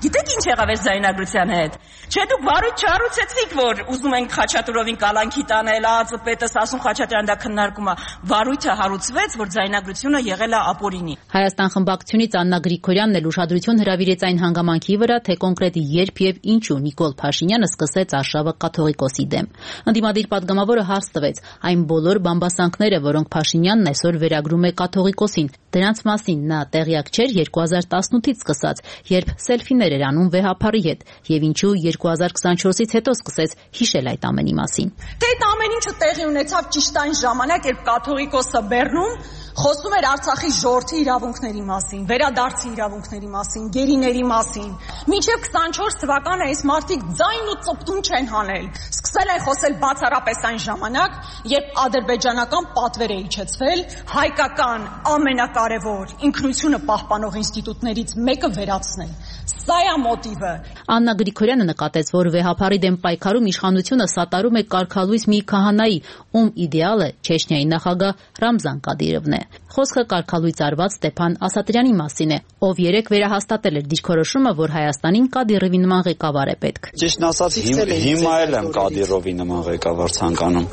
գիտեք ինչ եղավ այս ձայնագրության հետ։ Չէ, դուք վարույթ չհարուցեցիք, որ ուզում ենք Խաչատուրովին կալանքի տանել, ԱԱԾ պետը Սասուն Խաչատրյանը դա քննարկում է, վարույթը հարուցվեց, որ ձայնագրությունը եղել է ապօրինի։ Հայաստան խմբակցությունից Աննա Գրիգորյանն էլ ուշադրություն հրավիրեց այն հանգամանքի վրա, թե կոնկրետ երբ եւ ինչու Նիկոլ Փաշինյանը սկսեց արշավը կաթողիկոսի դեմ։ Ընդդիմադիր պատգամավորը հարց տվեց այն բոլոր բամբասանքները, որոնք Փաշինյանն այսօր վերագրում է կաթողիկոսին, դրանց մասին նա տեղյակ չէր երկու հազար տասնութից սկսած, երբ սելֆիներ էր անում վեհապարի հետ, եւ ինչու երկու հազար քսանչորսից հետո սկսեց հիշել այդ ամենի մասին։ Դե այդ ամեն ինչը տեղի ունեցավ ճիշտ այն ժամանակ, երբ կաթողիկոսը Բեռնում խոսում էր Արցախի ժողովրդի իրավունքների մասին, վերադարձի իրավունքների մասին, գերիների մասին։ Մինչև քսանչորս թվականը այս մարդիկ ձայն ու ծպտուն չեն հանել։ Սկսել են խոսել բացառապես այն ժամանակ, երբ ադրբեջանական պատվեր է իջեցվել հայկական ամենակարևոր ինքնությունը պահպանող ինստիտուտներից մեկը վերացնել։ Սա է մոտիվը։ Աննա Գրիգորյանը նկատեց, որ վեհապարի դեմ պայքարում իշխանությունը սատարում է կարգալույս մի քահանայի, ում իդեալը Չեչնիայի նախագահ Ռամզան Կադիրովն է։ Խոսքը կարգալույց արված Ստեփան Ասատրյանի մասին է, ով երեք վերահաստատել էր դիրքորոշումը, որ Հայաստանին Կադիրովի նման ղեկավար է պետք։ Ճիշտն ասած, հիմա էլ եմ Կադիրովի նման ղեկավար ցանկանում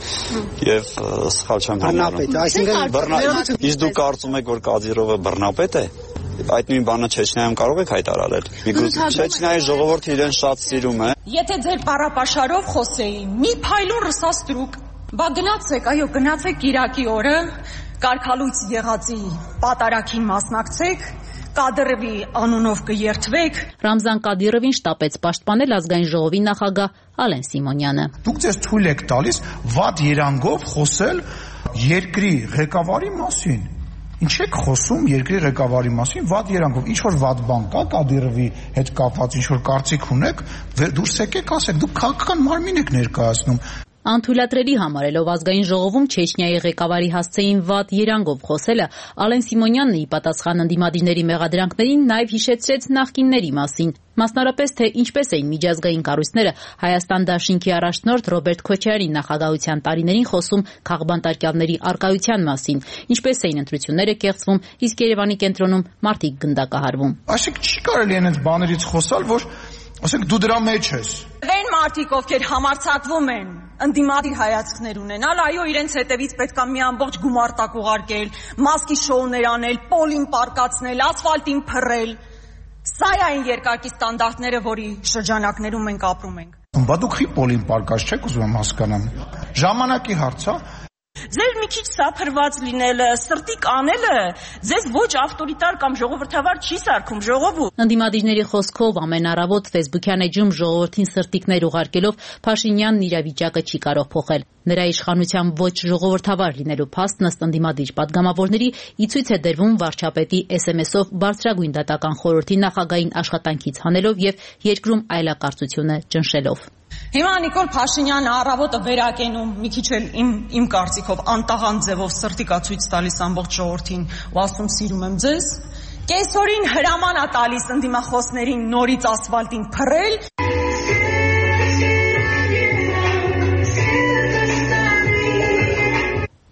եւ սխալ չեմ համարում։ Իսկ դուք կարծում եք, որ Կադիրովը բռնապետ է։ Այդ նույն բանը Չեչնիայում կարող եք հայտարարել։ Չեչնիայի ժողովուրդը իրեն շատ սիրում է։ Եթե ձեր պարապաշարով խոսեին, մի փայլուն ռսաստրուկ, բա գնացեք, այո, գնացեք Կիրակի օրը, կարգալույց եղածի պատարագին մասնակցեք, Կադիրովի անունով կերթվեք։ Ռամզան Կադիրովին շտապեց պաշտպանել ազգային ժողովի նախագահ Ալեն Սիմոնյանը։ Դուք ձեզ թույլ եք տալիս վատ երանգով խոսել երկրի ղեկավարի մասին։ Ինչ եք խոսում երկրի ղեկավարի մասին վատ երանգով, ինչ որ վատ բան կա Կադիրովի հետ կապված, ինչ որ կարծիք ունեք, դուրս եկեք ասեք, դուք քաղաքական մարմին եք ներկայացնում։ Անթույլատրելի համարելով ազգային ժողովում Չեչնիայի ղեկավարի հասցեին վատ երանգով խոսելը, Ալեն Սիմոնյանն ի պատասխան ընդդիմադիրների մեղադրանքներին նաև հիշեցրեց նախկինների մասին, մասնարարպես թե ինչպես էին միջազգային կառույցները Հայաստան դաշինքի առաջնորդ Ռոբերտ Քոչարյանի նախագահության տարիներին խոսում քաղբանտարկյալների առկայության մասին, ինչպես էին ընտրությունները կեղծվում, իսկ Երևանի կենտրոնում մարդիկ գնդակահարվում։ Այսինքն չի կարելի այնց բաներից խոսալ, որ ասենք դու դրա մեջ ես։ Այն մարդիկ, ովքեր համարձակվում են ընդդիմադիր հայացքներ ունենալ, այո, իրենց հետևից պետք է մի ամբողջ գումարտակ ուղարկել, մասկի շոուներ անել, պոլին պարկացնել, ասֆալտին փռել։ Սա է այն երկակի ստանդարտները, որի շրջանակներում մենք ապրում ենք։ Բա դուք խի պոլին պարկած չեք ուզում եմ հասկանամ։ Ժամանակի հարց է։ Ձեր մի քիչ սափրված լինելը, սրտի կանելը ձեզ ոչ ավտորիտար կամ ժողովրդավար չի սարքում, ժողովուրդ։ Ընդդիմադիրների խոսքով ամեն առավոտ Facebook-յան էջում ժողովրդին սրտիկներ ուղարկելով Փաշինյանն իրավիճակը չի կարող փոխել։ Նրա իշխանության ոչ ժողովրդավար լինելու փաստն ըստ ընդդիմադիր պատգամավորների ի ցույց է դրվում վարչապետի էս էմ էսով բարձրագույն դատական խորհրդի նախագահային աշխատանքից հանելով եւ երկրում այլակարծությունը ճնշելով։ Հիմա Նիկոլ Փաշինյանը առավոտը վերակենում մի քիչ էլ իմ իմ կարծիքով անտաղան ձևով սրտիկա ցույց տալիս ամբողջ ժողովրդին ու ասում սիրում եմ ձեզ։ Կեսօրին հրաման է տալիս ընդդիմախոսներին նորից ասֆալտին փռել։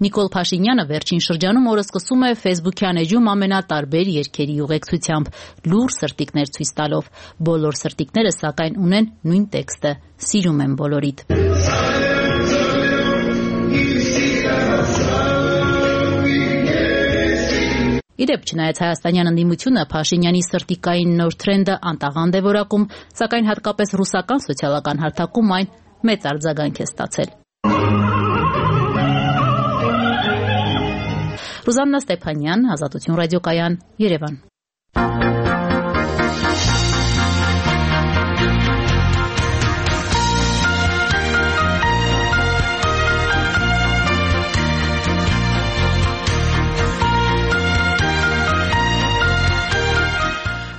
Նիկոլ Փաշինյանը վերջին շրջանում օրը սկսում է Facebook-յան էջում ամենատարբեր երգերի ուղեկցությամբ, լուր սրտիկներ ցույց տալով։ Բոլոր սրտիկները սակայն ունեն նույն տեքստը՝ «Սիրում եմ բոլորիդ»։ Իդեպ, չնայած հայաստանյան ընդդիմությունը Փաշինյանի սրտիկային նոր թրենդը անտաղանդ է որակում, սակայն հատկապես ռուսական սոցիալական հարթակում այն մեծ արձագանք է ստացել։ Ռուզաննա Ստեփանյան, Ազատություն ռադիոկայան, Երևան։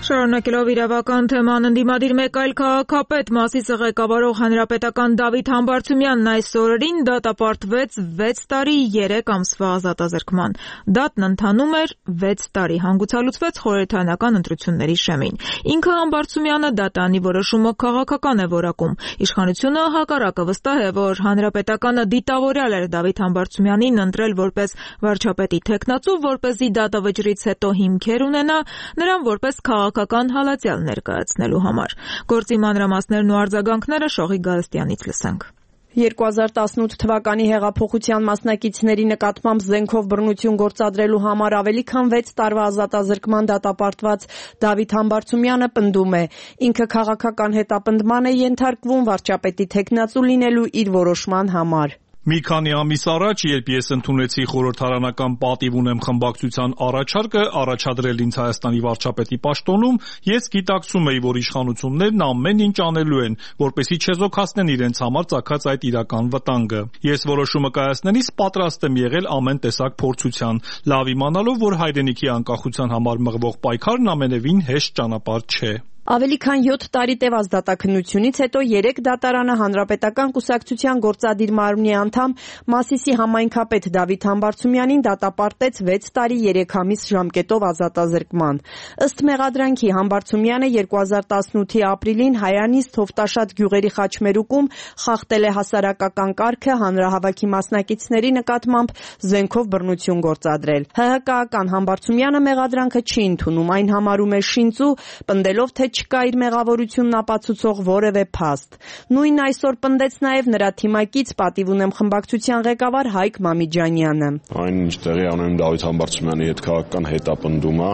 Շարունակելով իրավական թեման, ընդդիմադիր մեկ այլ քաղաքապետ Մասիսը ղեկավարող հանրապետական Դավիթ Համբարձումյանն այս օրերին դատապարտվեց վեց տարի երեք ամսվա ազատազրկման։ Դատն ընթանում էր վեց տարի, հանգուցալուծվեց խորհրդարանական ընտրությունների շեմին։ Ինքը Համբարձումյանը դատանի որոշումը քաղաքական է որակում։ Իշխանությունը հակառակը վստահ է, որ հանրապետականը դիտավորյալ էր Դավիթ Համբարձումյանին ընտրել որպես վարչապետի թեկնածու, որպեսզի դատը վճռից հետո հիմքեր ունենա նրան որպես քաղաքական հալածյալ ներկայացնելու համար։ Գործի մանրամասներն ու արձագանքները Շողիկ Գալստյանից լսենք։ երկու հազար տասնութ թվականի հեղափոխության մասնակիցների նկատմամբ զենքով բռնություն գործադրելու համար ավելի քան վեց տարվա ազատազրկման դատապարտված Դավիթ Համբարձումյանը պնդում է, ինքը քաղաքական հետապնդման է ենթարկվում վարչապետի թեկնածու լինելու իր որոշման համար։ Մի քանի ամիս առաջ, երբ ես ընդունեցի խորհրդարանական պատիվ ունեմ խմբակցության առաջարկը առաջադրել ինձ Հայաստանի վարչապետի պաշտոնում, ես գիտակցում էի, որ իշխանություններն ամեն ինչ անելու են, որպեսզի չեզոքացնեն իրենց համար ծագած այդ իրական վտանգը։ Ես որոշումը կայացնելիս պատրաստ եմ եղել ամեն տեսակ փորձության, լավ իմանալով, որ հայրենիքի անկախության համար մղվող պայքարն ամենևին հեշտ ճանապարհ չէ։ Ավելի քան յոթ տարի տևած դատաքննությունից հետո երեք դատարանը հանրապետական կուսակցության գործադիր մարմնի անդամ Մասիսի համայնքապետ Դավիթ Համբարձումյանին դատապարտեց վեց տարի երեք ամիս ժամկետով ազատազրկման։ Ըստ մեղադրանքի Համբարձումյանը երկու հազար տասնութի ապրիլին Հայանից Թովտաշատ գյուղերի խաչմերուկում խախտել է հասարակական կարգը, հանրահավաքի մասնակիցների նկատմամբ զենքով բռնություն գործադրել։ ՀՀԿ-ական Համբարձումյանը մեղադրանքը չի ընդունում, այն համարում է շինծու, պնդելով, թե չկա իր մեղավորությունն ապացուցող որևէ փաստ։ Նույն այսօր պնդեց նաև նրա թիմակից պատիվ ունեմ խմբակցության ղեկավար Հայկ Մամիջանյանը։ Այն ինչ տեղի ունենում Դավիթ Համբարձումյանի հետ քաղաքական հետապնդումը,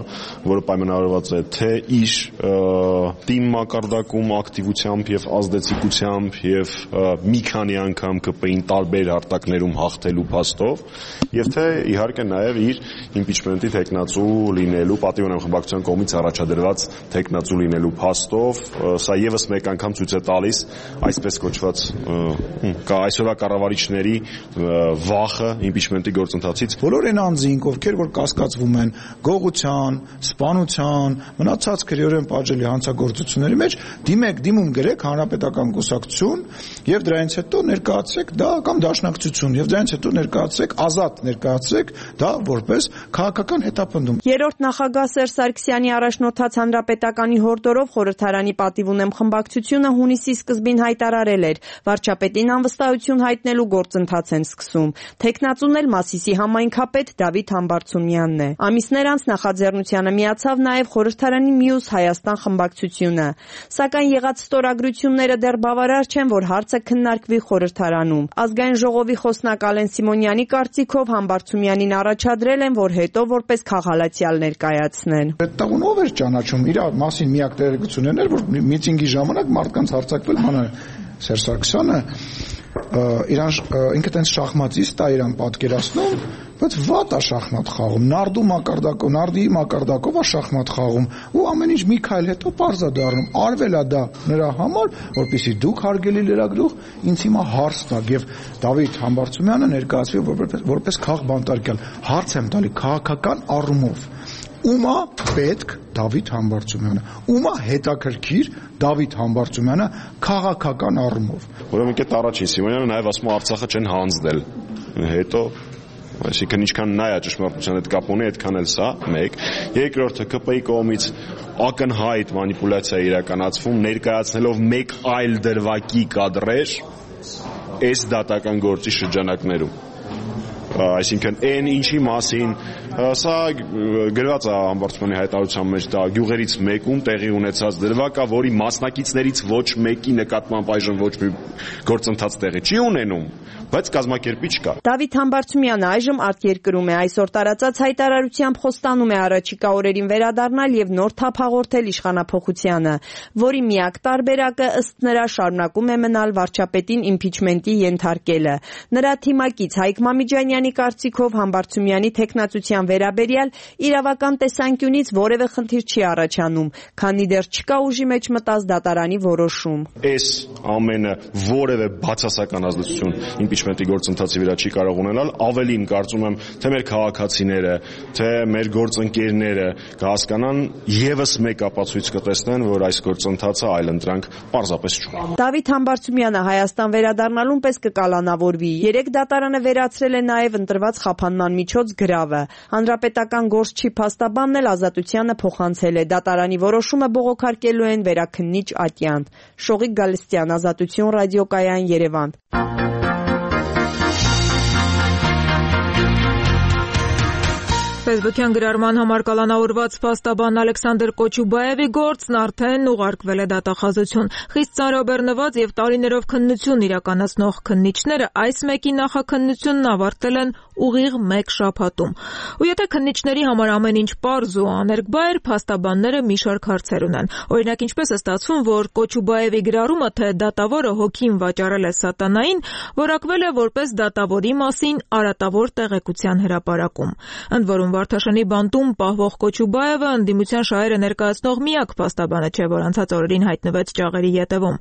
որը պայմանավորված է թե իր թիմ մակարդակում ակտիվությամբ եւ ազդեցիկությամբ եւ մի քանի անգամ ԿՊ-ին տարբեր արտակներում հաղթելու փաստով, եւ թե իհարկե նաև իր իմպիչմենտի թեկնածու լինելու, պատիվ ունեմ խմբակցության կողմից առաջադրված թեկնածու լինելու փաստով, սա եւս մեկ անգամ ցույց է տալիս այսպես կոչված կա այսօրվա կառավարիչների վախը իմպիչմենտի գործընթացից։ Բոլոր այն անձինք, ովքեր որ կասկածվում են գողության, սպանության, մնացած քրեորեն պատժելի հանցագործությունների մեջ, դիմեք, դիմում գրեք հանրապետական կուսակցություն եւ դրանից հետո ներկայացրեք դա կամ դաշնակցություն եւ դրանից հետո ներկայացրեք ազատ ներկայացրեք դա որպես քաղաքական հետապնդում։ Երրորդ նախագահ Սերժ Սարգսյանի առաջնորդած հանրապետականի հորդորով խորհրդարանի պատիվ ունեմ խմբակցությունը հունիսի սկզբին հայտարարել էր վարչապետին անվստահություն հայտնելու գործընթաց են սկսում։ Թեկնածուն էլ Մասիսի համայնքապետ Դավիթ Համբարձումյանն է։ Ամիսներ անց նախաձեռնությանը միացավ նաև խորհրդարանի մյուս Հայաստան խմբակցությունը։ Սակայն եղած ստորագրությունները դեռ բավարար չեն, որ հարցը քննարկվի խորհրդարանում։ Ազգային ժողովի խոսնակ Ալեն Սիմոնյանի կարծիքով Համբարձումյանին առաջադրել են, որ հետո որպես քաղաքալացյալ ներկայացնեն։ Այդ տաղուն ով էր ճանաչում իր մասին միակ տեղեկությունն էր, որ միտինգի ժամանակ մարդկանց հարձակվել մանա Սերժ Սարգսյանը իրան ինքը տենց շախմատիստ է իրան պատկերացնում, բայց վատ է շախմատ խաղում, նարդու մակարդակով, նարդի մակարդակով է շախմատ խաղում ու ամեն ինչ մի քայլ հետո պարզ է դառնում, արվել է դա նրա համար, որպեսզի դուք հարգելի լրագրող ինձ հիմա հարց տաք եւ Դավիթ Համբարձումյանը ներկայացվի որպես որպես քաղբանտարկյալ, հարց եմ տալի քաղաքական առումով։ Ումա պետք Դավիթ Համբարձումյանը, ումա հետաքրքիր Դավիթ Համբարձումյանը քաղաքական առումով։ Ուրեմն կետ առաջին Սիմոնյանը նաև ասում է Արցախը չեն հանձնել։ Հետո այսինքն ինչքան նա է ճշմարտության հետ կապ ունի, այդքան էլ սա մեկ։ Երկրորդը ԿՊ-ի կողմից ակնհայտ մանիպուլյացիա իրականացվում, ներկայացնելով մեկ այլ դրվագի կադրեր այս դատական գործի շրջանակներում։ Այսինքն այն ինչի մասին սա գրված է Համբարձումյանի հայտարարության մեջ, դա գյուղերից մեկում տեղի ունեցած դրվագ է, որի մասնակիցներից ոչ մեկի նկատմամբ այժմ ոչ մի գործընթաց տեղի չի ունենում, բայց կազմակերպիչ կա։ Դավիթ Համբարձումյանը այժմ արտերկրում է, այսօր տարածած հայտարարությամբ խոստանում է առաջիկա օրերին վերադառնալ եւ նոր թափ հաղորդել իշխանափոխությանը, որի միակ տարբերակը ըստ նրա շարունակում է մնալ վարչապետին իմպիչմենտի ենթարկելը։ Նրա թիմակից Հայկ Մամիջանյանի կարծիքով Համբարձումյանի թեկնածության վերաբերյալ իրավական տեսանկյունից որևէ խնդիր չի առաջանում, քանի դեռ չկա ուժի մեջ մտած դատարանի որոշում։ Այս ամենը որևէ բացասական ազդեցություն իմպիչմենտի գործընթացի վրա չի կարող ունենալ, ավելին կարծում եմ, թե մեր քաղաքացիները, թե մեր գործընկերները կհասկանան եւս մեկ ապացույց կտեսնեն, որ այս գործընթացը այլընտրանք պարզապես չունի։ Դավիթ Համբարձումյանը Հայաստան վերադառնալուն պես կկալանավորվի։ Երեք դատարանը վերացրել է նաև ընտրված խափանման միջոց գրավը։ Հանրապետական գործչի փաստաբանն էլ ազատությանը փոխանցել է։ Դատարանի որոշումը բողոքարկելու են վերաքննիչ ատյան։ Շողիկ Գալստյան, Ազատություն ռադիոկայան, Երևան։ Facebook-յան գրառման համար կալանավորված փաստաբան Ալեքսանդր Կոչուբաևի գործն արդեն ուղարկվել է դատախազություն։ Խիստ ծանրաբեռնված եւ տարիներով քննություն իրականացնող քննիչները այս մեկի նախաքննությունն ավարտել են ուղիղ մեկ շաբաթում։ Ու եթե քննիչների համար ամեն ինչ պարզ ու աներկբա էր, փաստաբանները մի շարք հարցեր ունեն։ Օրինակ, ինչպես է ստացվում, որ Կոչուբաևի գրառումը, թե դատավորը հոգին վաճառել է սատանային, որակվել է որպես դատավորի մասին արատավոր տեղեկության հրապարակում։ Ընդ որում Վարդաշնի բանտում պահվող Կոչուբաևը ընդդիմության շահերը ներկայացնող միակ փաստաբանը չէ, որ անցած օրերին հայտնվեց ճաղերի ետևում։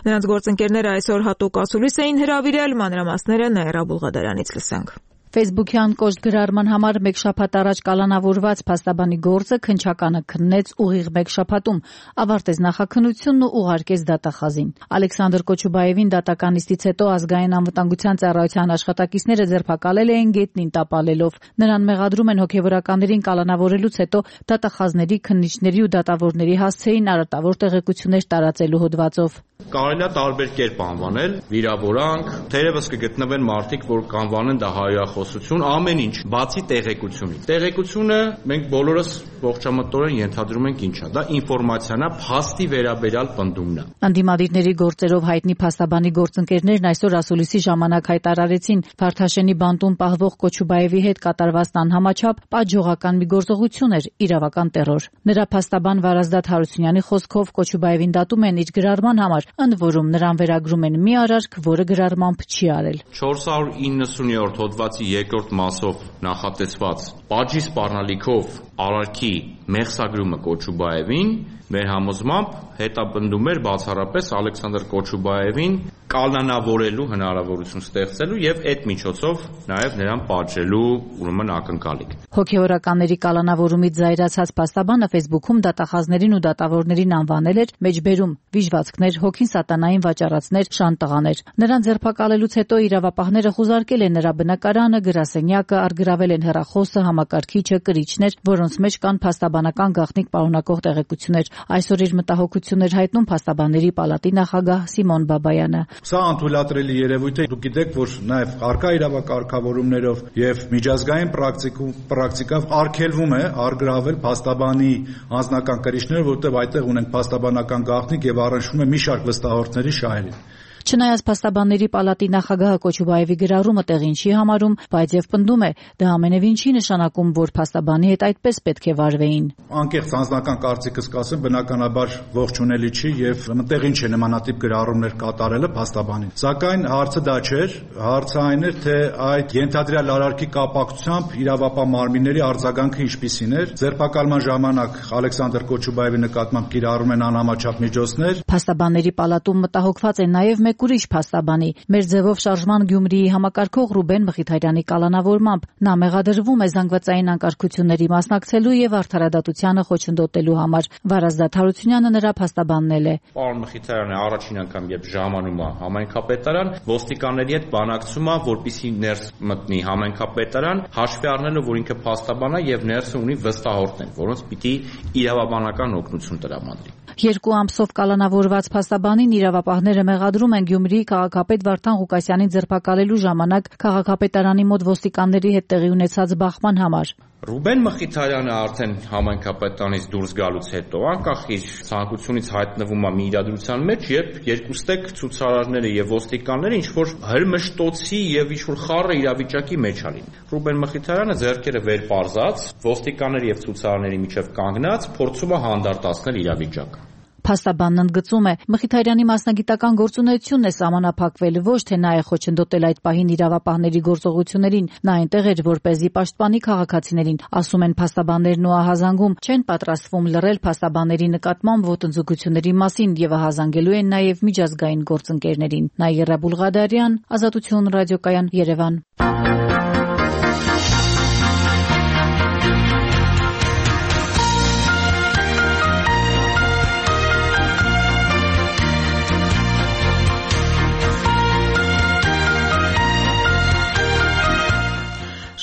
Նրանց գործընկերները այսօր հատուկ ասուլիս էին հրավիրել, մանրամասները Նաիրա Բուլղադարանից լսենք։ Facebook-յան կոշտ գրառման համար մեկ շաբաթ առաջ կալանավորված փաստաբանի գործը քննչականը քննեց ուղիղ մեկ շաբաթում, ավարտեց նախաքննությունն ու ուղարկեց դատախազին։ Ալեքսանդր Կոչուբաևին դատական նիստից հետո ազգային անվտանգության ծառայության աշխատակիցները ձերբակալել էին գետնին տապալելով։ Նրան մեղադրում են հոգևորականներին կալանավորելուց հետո դատախազների, քննիչների ու դատավորների հասցեին արատավոր տեղեկություններ տարածելու հոդվածով։ Կարելի է տարբեր կերպ անվանել, վիրավորանք, թերևս կգտնվեն մարդիկ, որ կանվանեն դա հայրախոսություն, ամեն ինչ, բացի տեղեկությունից։ Տեղեկությունը մենք բոլորս ողջամտորեն ենթադրում ենք ինչա, դա ինֆորմացիան է, փաստի վերաբերյալ պնդումն է։ Անդիմադիրների գործերով հայտնի փաստաբանի գործընկերներն այսօր ասուլիսի ժամանակ հայտարարեցին Վարդաշենի բանտում պահվող Կոչուբաևի հետ կատարված անհամաչափ պատժողական մի գործողություն էր, իրավական տեռոր։ Նրա փաստաբան Վարազդատ Հարությունյանի խոսքով Կոչուբաևին դատում են իր գրառման համար, ընդ որում նրան վերագրում են մի արարք, որը գրառմամբ չի արել։ չորս հարյուր իննսունյոթ հոդվածի երկրորդ մասով նախատեսված պատժի սպառնալիքով արարքի մեղսագրումը Կոչուբաևին մեր համոզմամբ հետապնդում էր բացառապես Ալեքսանդր Կոչուբաևին կալանավորելու հնարավորություն ստեղծելու եւ այդ միջոցով նաեւ նրան պատժելու ուրեմն ակնկալիք։ Հոգեորականների կալանավորումից զայրացած փաստաբանը Facebook-ում դատախազներին ու դատավորներին անվանել էր մեջբերում, վիժվածքներ, հոգին սատանային վաճառածներ, շանտղաներ։ Նրան ձերբակալելուց հետո իրավապահները խուզարկել են նրա բնակարանը, գրասենյակը, առգրավել են հեռախոսը, համակարգիչը, կրիչներ, որոնց մեջ կան փաստաբանական գաղտնիք պարունակող տեղեկություններ։ Այսօր իր մտահոգություններ հայտնում փաստաբանների պալատի նախագահ Սիմոն Բաբայանը։ Սա անթույլատրելի երևույթ է, դուք գիտեք, որ նաև արկա իրավակարգավորումներով եւ միջազգային պրակտիկով արգելվում է առգրավել փաստաբանի անձնական կրիչները, որտեղ այդտեղ ունենք փաստաբանական գաղտնիք եւ առնչվում է մի շարք վստահորդների շահերին։ Չնայած փաստաբանների պալատի նախագահը Կոչուբաևի գրառումը տեղին չի համարում, բայց եւ պնդում է, դա ամենևին չի նշանակում, որ փաստաբանի հետ այդպես պետք է վարվեին։ Անկեղծ անձնական կարծիքս կասեմ, բնականաբար ողջունելի չի եւ տեղին չէ նմանատիպ գրառումներ կատարելը փաստաբանին։ Սակայն հարցը դա չէր, հարցը այն էր, թե այդ ենթադրյալ արարքի կապակցությամբ իրավապահ մարմինների արձագանքը ինչպիսին էր։ Ձերբակալման ժամանակ Ալեքսանդր Կոչուբաևի նկատմամբ կիրառում են անհամաչափ միջոցներ։ Փաստաբանների պալատում մտահոգված են նաեւ մեկ ուրիշ փաստաբանի, մեր ձևով շարժման Գյումրիի համակարգող Ռուբեն Մխիթարյանի կալանավորմամբ։ Նա մեղադրվում է զանգվածային անկարգությունների մասնակցելու եւ արդարադատությանը խոչընդոտելու համար։ Վարազդատ Հարությունյանը նրա փաստաբանն է։ Պարոն Մխիթարյանը առաջին անգամ երբ ժամանում է համայնքապետարան, ոստիկանների հետ բանակցում է, որպեսզի ներս մտնի համայնքապետարան, հաշվի առնելով, որ ինքը փաստաբան է եւ ներսը ունի վստահորդներ, որոնց պիտի իրավաբանական օգնություն տրամադրի։ Երկու ամսով կալանավորված փաստաբանին իրավապահները մեղադրում են Գյումրիի քաղաքապետ Վարդան Ղուկասյանին ձերբակալելու ժամանակ քաղաքապետարանի մոտ ոստիկանների հետ տեղի ունեցած բախման համար։ Ռուբեն Մխիթարյանը արդեն համայնքապետանից դուրս գալուց հետո անկախ իր ցանկությունից հայտնվում է մի իրադրության մեջ, երբ երկուստեք ցուցարարները եւ ոստիկանները ինչ որ հրմշտոցի եւ ինչ որ խառը իրավիճակի մեջ ալին։ Ռուբեն Մխիթարյանը ձեռքերը վեր պարզած, ոստիկանների եւ ցուցարարների միջև կանգնած, փորձում է հանդարտացնել իրավիճակը։ Փաստաբանն ընդգծում է, Մխիթարյանի մասնագիտական գործունեությունն է սահմանափակվել, ոչ թե նա է խոչընդոտել այդ պահին իրավապահների գործողություններին, նա այնտեղ էր որպեսզի պաշտպանի քաղաքացիներին, ասում են փաստաբաններն ու ահազանգում, չեն պատրաստվում լռել փաստաբանների նկատմամբ ոտնձգությունների մասին եւ ահազանգելու են նաեւ միջազգային գործընկերներին։ Նաիրա Բուլղադարյան, Ազատություն ռադիոկայան, Երևան։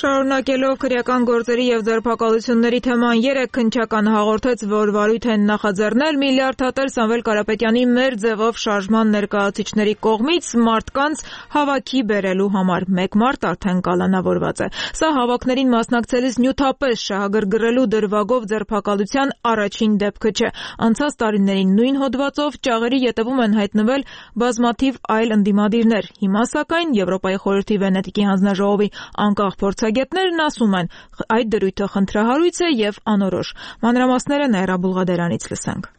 Շարունակելով քրեական գործերի եւ ձերբակալությունների թեման երեք քննչական հաղորդեց, որ վարույթ են նախաձեռնել միլիարդ հատել Սամվել Կարապետյանի մեր ձևով շարժման ներկայացուցիչների կողմից մարդկանց հավաքի բերելու համար։ Մեկ մարդ արդեն կալանավորված է։ Սա հավաքներին մասնակցելիս նյութապես շահագրգռելու դրվագով ձերբակալության առաջին դեպքը չէ։ Անցած տարիներին նույն հոդվածով ճաղերի ետևում են հայտնվել բազմաթիվ այլ ընդդիմադիրներ։ Հիմա սակայն Եվրոպայի խորհրդի Վենետիկի հանձնաժողովի անկախ փորձագետներն ասում են, այդ դրույթը խնդրահարույց է եւ անորոշ։ Մանրամասները Նաիրա Բուլղադարանից լսենք։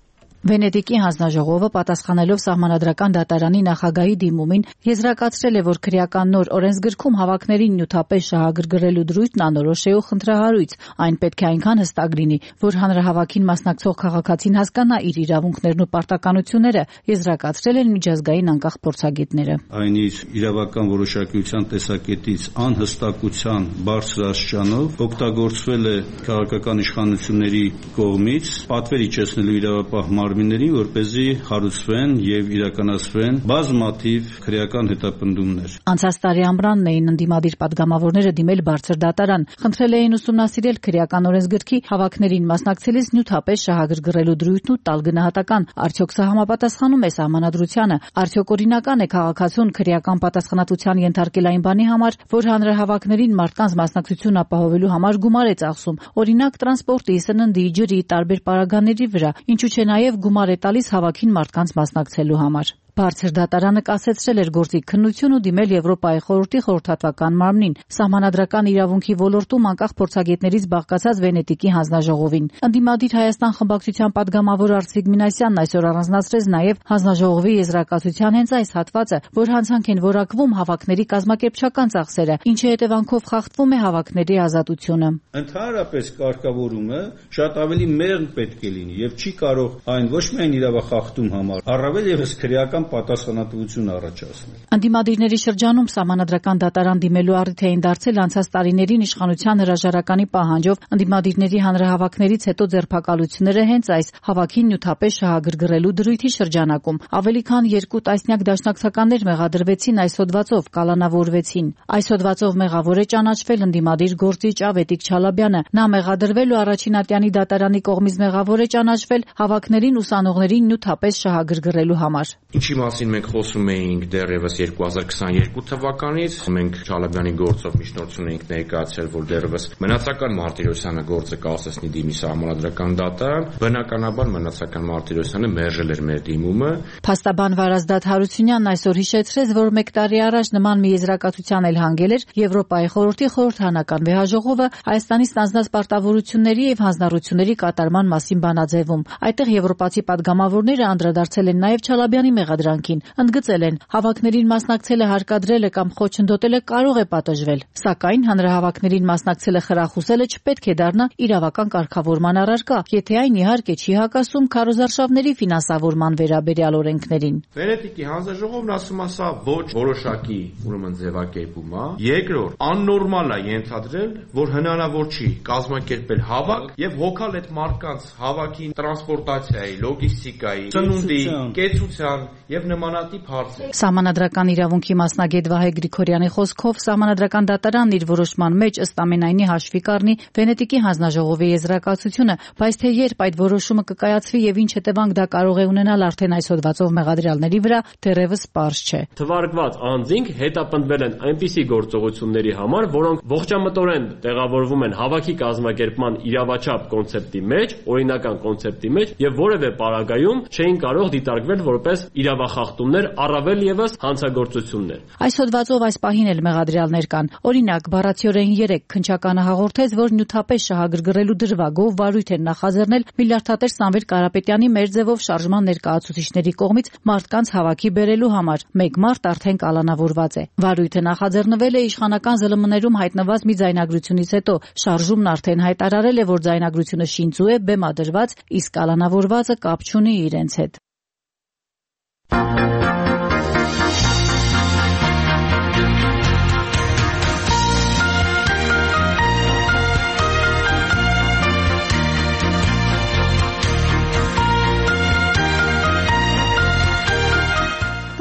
Վենետիկի հանձնաժողովը պատասխանելով Սահմանադրական դատարանի նախագահի դիմումին եզրակացրել է, որ քրեական նոր օրենսգրքում հավաքներին նյութապես շահագրգռելու դրույթն անորոշ է ու խնդրահարույց, այն պետք է այնքան հստակ լինի, որ հանրահավաքին մասնակցող քաղաքացին հասկանա իր իրավունքներն ու պարտականությունները, եզրակացրել են միջազգային անկախ փորձագետները։ Այն իր իրավական որոշակիության տեսակետից անհստակության բարձր աստիճանով օգտագործվել է քաղաքական իշխանությունների կողմից պատվեր իջեցնելու իրավապահ մարմիններին, որպեսզի հարուցվեն եւ իրականացվեն բազմաթիվ քրեական հետապնդումներ։ Անցած տարի ամռանն էին ընդդիմադիր падգամավորները դիմել բարձր դատարան, խնդրել էին ուսումնասիրել քրեական օրենսգրքի հավաքներին մասնակցելիս նյութապես շահագրգռելու դրույթն ու տալ գնահատական, արդյոք սա համապատասխանում է սահմանադրությանը, արդյոք օրինական է քաղաքացուն քրեական պատասխանատվության ենթարկել այն բանի համար, որ հանրահավաքներին մարդկանց մասնակցություն ապահովելու համար գումար է ծախսում, օրինակ տրանսպորտի, սննդի, ջրի, տարբեր պարագաների վրա, ինչու՞ չէ նաեւ գումար է տալիս հավաքին մարդկանց մասնակցելու համար։ Բարձր դատարանը կասեցրել էր գործիք քննություն ու դիմել Եվրոպայի խորհրդի խորհրդատվական մարմնին, սահմանադրական իրավունքի ոլորտում անկախ փորձագետներից բաղկացած Վենետիկի հանձնաժողովին։ Ընդդիմադիր Հայաստան խմբակցության падգամավոր Արծվիկ Մինասյանն այսօր առանձնացրեց նաև հանձնաժողովի եզրակացության հենց այս հատվածը, որ հանցանք են որակվում հավաքների կազմակերպչական ծախսերը, ինչի հետևանքով խախտվում է հավաքների ազատությունը։ Ընդհանրապես կարգավորումը շատ ավելի մեղմ պետք է լինի եւ չի կարող այն ոչ միայն իրավախախտում համար, առավել եւս քրեական պատասխանատվություն առաջացնել։ Ընդդիմադիրների շրջանում սահմանադրական դատարան դիմելու առիթ էին դարձել անցած տարիներին իշխանության հրաժարականի պահանջով ընդդիմադիրների հանրահավաքներից հետո ձերբակալությունները հենց այս հավաքին նյութապես շահագրգռելու դրույթի շրջանակում։ Ավելի քան երկու տասնյակ դաշնակցականներ մեղադրվեցին այս հոդվածով, կալանավորվեցին։ Այս հոդվածով մեղավոր է ճանաչվել ընդդիմադիր գործիչ Ավետիք Չալաբյանը։ Նա մեղադրվել ու առաջին ատյանի դատարանի կողմից մեղավոր է ճանաչվել հավաքներին ուսանողներին նյութապես շահագրգռելու համար։ Ինչի մասին մենք խոսում էինք դեռևս երկու հազար քսաներկու թվականից, մենք Չալաբյանի գործով միջնորդություն էինք ներկայացրել, որ դեռևս մնացական Մարտիրոսյանը գործը կասեցնի դիմի սահմանադրական դատարան, բնականաբար մնացական Մարտիրոսյանը մերժել էր մեր դիմումը։ Փաստաբան Վարազդատ Հարությունյանն այսօր հիշեցրեց, որ մեկ տարի առաջ նման մի եզրակացության էլ հանգել էր Եվրոպայի խորհրդի խորհրդանական վեհաժողովը Հայաստանի ստանձնած պարտավորությունների եւ հանձնառությունների կատարման մասին բանաձևում։ Այդտեղ եվրոպացի падգամավորները անդրադարձել են նաեւ Չալաբյանի մեղադրանքին, ընդգծել են, հավաքներին մասնակցելը հարկադրելը կամ խոչընդոտելը կարող է պատժվել, սակայն հանրահավաքներին մասնակցելը խրախուսելը չպետք է դառնա իրավական կարգավորման առարկա, եթե այն իհարկե չի հակասում քարոզարշավների ֆինանսավորման վերաբերյալ օրենքներին։ Վենետիկի հանձնաժողովն ասում է, սա ոչ որոշակի ուրեմն ձևակերպում է։ Երկրորդ, աննորմալ է ենթադրել, որ հնարավոր չի կազմակերպել հավաք եւ հոգալ այդ մարդկանց հավաքին տրանսպորտացիայի, լոգիստիկայի, ծնունդի, կեցության եւ նմանատիպ հարցեր։ Սահմանադրական իրավունքի մասնագետ Վահե Գրիգորյանի խոսքով Սահմանադրական դատարանն իր որոշման մեջ ըստ ամենայնի հաշվի կառնի Վենետիկի հանձնաժողովի եզրակացությունը, բայց թե երբ այդ որոշումը կկայացվի եւ ինչ հետևանք դա կարող է ունենալ արդեն այս հոդվածով մեղադրյալների վրա, դեռևս պարզ չէ։ Թվարկված անձինք հետապնդվել են այնպիսի գործողությունների համար, որոնք ողջամտորեն տեղավորվում են հավաքի կազմակերպման իրավաչափ կոնցեպտի մեջ, օրինական կոնցեպտի մեջ եւ որևէ պարագայում չէին կարող դիտարկվել որպես իրավախախտումներ, առավել եւս հանցագործություններ։ Այս հոդվածով այս պահին էլ մեղադրյալներ կան։ Օրինակ, բառացիորեն երեք քննչականը հաղորդեց, որ նյութապես շահագրգռելու դրվագով վարույթ են նախաձեռնել միլիարդատեր Սամվել Կարապետյանի մեր ձևով շարժման ներկայացուցիչների կողմից մարդկանց հավաքի բերելու համար։ Մեկ մարդ արդեն կալանավորված է։ Վարույթը նախաձեռնվել է իշխանական ԶԼՄ-ներում հայտնված մի ձայնագրությունից հետո։ Շարժումն արդեն հայտարարել է, որ ձայնագրությունը շինծու է, բեմադրված, իսկ կալանավորվածը կապ չունի իրենց հետ։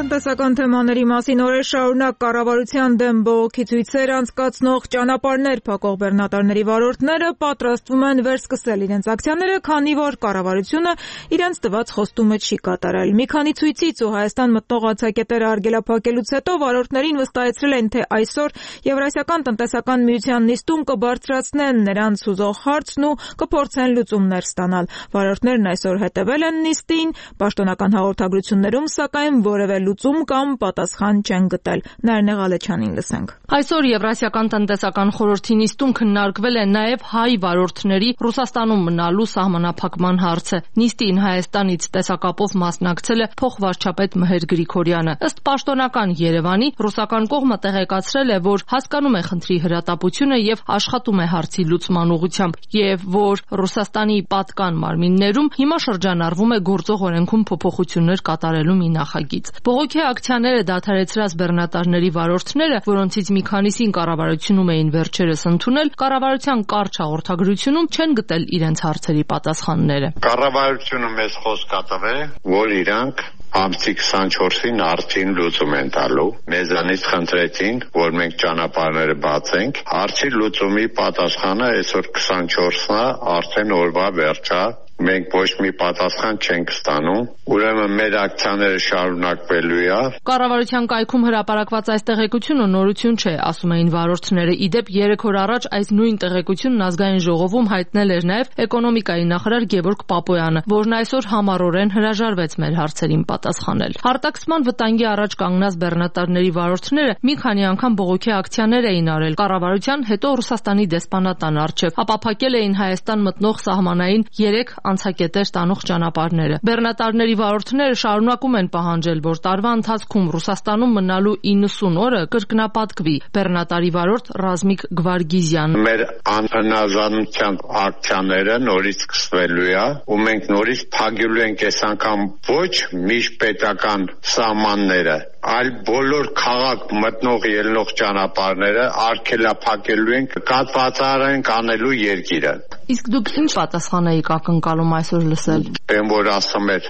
Տնտեսական թեմաների մասին օրեր շարունակ կառավարության դեմ բողոքի ցույցեր անցկացնող ճանապարհներ փակող բեռնատարների վարորդները պատրաստվում են վերսկսել իրենց ակցիաները, քանի որ կառավարությունը իրենց տված խոստումը չի կատարել։ Մի քանի ցույցից ու Հայաստան մտնող ացակետերը արգելափակելուց հետո վարորդներին վստահեցրել են, թե այսօր Եվրասիական տնտեսական միության նիստում կբարձրացնեն նրանց ուզող հարցն ու կփորձեն լուծումներ ստանալ։ Վարորդներն այսօր հետևել են նիստին, պաշտոնական հաղորդագրություններում սակայն որևէ լուծում կամ պատասխան չեն գտել։ Նարինե Ղալեչյանին լսենք։ Այսօր Եվրասիական տնտեսական խորհրդի նիստում քննարկվել է նաև հայ վարորդների Ռուսաստանում մնալու սահմանափակման հարցը։ Նիստին Հայաստանից տեսակապով մասնակցել է փոխվարչապետ Մհեր Գրիգորյանը։ Ըստ պաշտոնական Երևանի, ռուսական կողմը տեղեկացրել է, որ հասկանում է խնդրի հրատապությունը եւ աշխատում է հարցի լուծման ուղղությամբ, եւ որ Ռուսաստանի պատկան մարմիններում հիմա շրջանառվում է գործող օրենքում փոփոխություններ կատարելու մի նախագիծ։ Բողոքի ակցիաները դադարեցրած բեռնատարների վարորդները, որոնցից մի քանիսին կառավարությունում էին վերջերս ընդունել, կառավարության կարճ հաղորդագրությունում չեն գտել իրենց հարցերի պատասխանները։ Կառավարությունը մեզ խոսք կտավ, որ իրանք ամսի քսանչորսին արդեն լուծում են տալու։ Մեզանից խնդրեցին, որ մենք ճանապարհները բացենք։ Արդի լուծումի պատասխանը այսօր քսանչորսն է, արդեն օրվա վերջա։ Մենք ոչ մի պատասխան չենք ստանում, ուրեմն մեր ակցիաները շարունակվելու է։ Կառավարության կայքում հրապարակված այս տեղեկությունը նորություն չէ, ասում էին վարորդները։ Իդեպ երեք օր առաջ այս նույն տեղեկությունն ազգային ժողովում հայտնել էր նաև էկոնոմիկայի նախարար Գևորգ Պապոյանը, որն այսօր համառորեն հրաժարվեց մեր հարցերին պատասխանել։ Հարտակսման վտանգի առաջ կանգնած բեռնատարների վարորդները մի քանի անգամ բողոքի ակցիաներ էին արել կառավարության, հետո Ռուսաստանի դեսպանատան առջև, ապա փակել էին Հայաստան մտնող սահմանային երեք անցակետեր տանող ճանապարհները։ Բեռնատարների վարորդները շարունակում են պահանջել, որ տարվա ընթացքում Ռուսաստանում մնալու իննսուն օրը կրկնապատկվի։ Բեռնատարի վարորդ Ռազմիկ Գվարգիզյան. Մեր անհնազանդության ակցիաները նորից սկսվելու է, ու մենք նորից փակելու ենք այս անգամ ոչ միջպետական սահմանները, այլ բոլոր քաղաք մտնող ելնող ճանապարհները արգելափակելու ենք, կաթվածարան կանելու երկիրը։ Իսկ դուք ինչ պատասխան եք ակնկալում այսօր լսել։ Բեմ որ ասում էր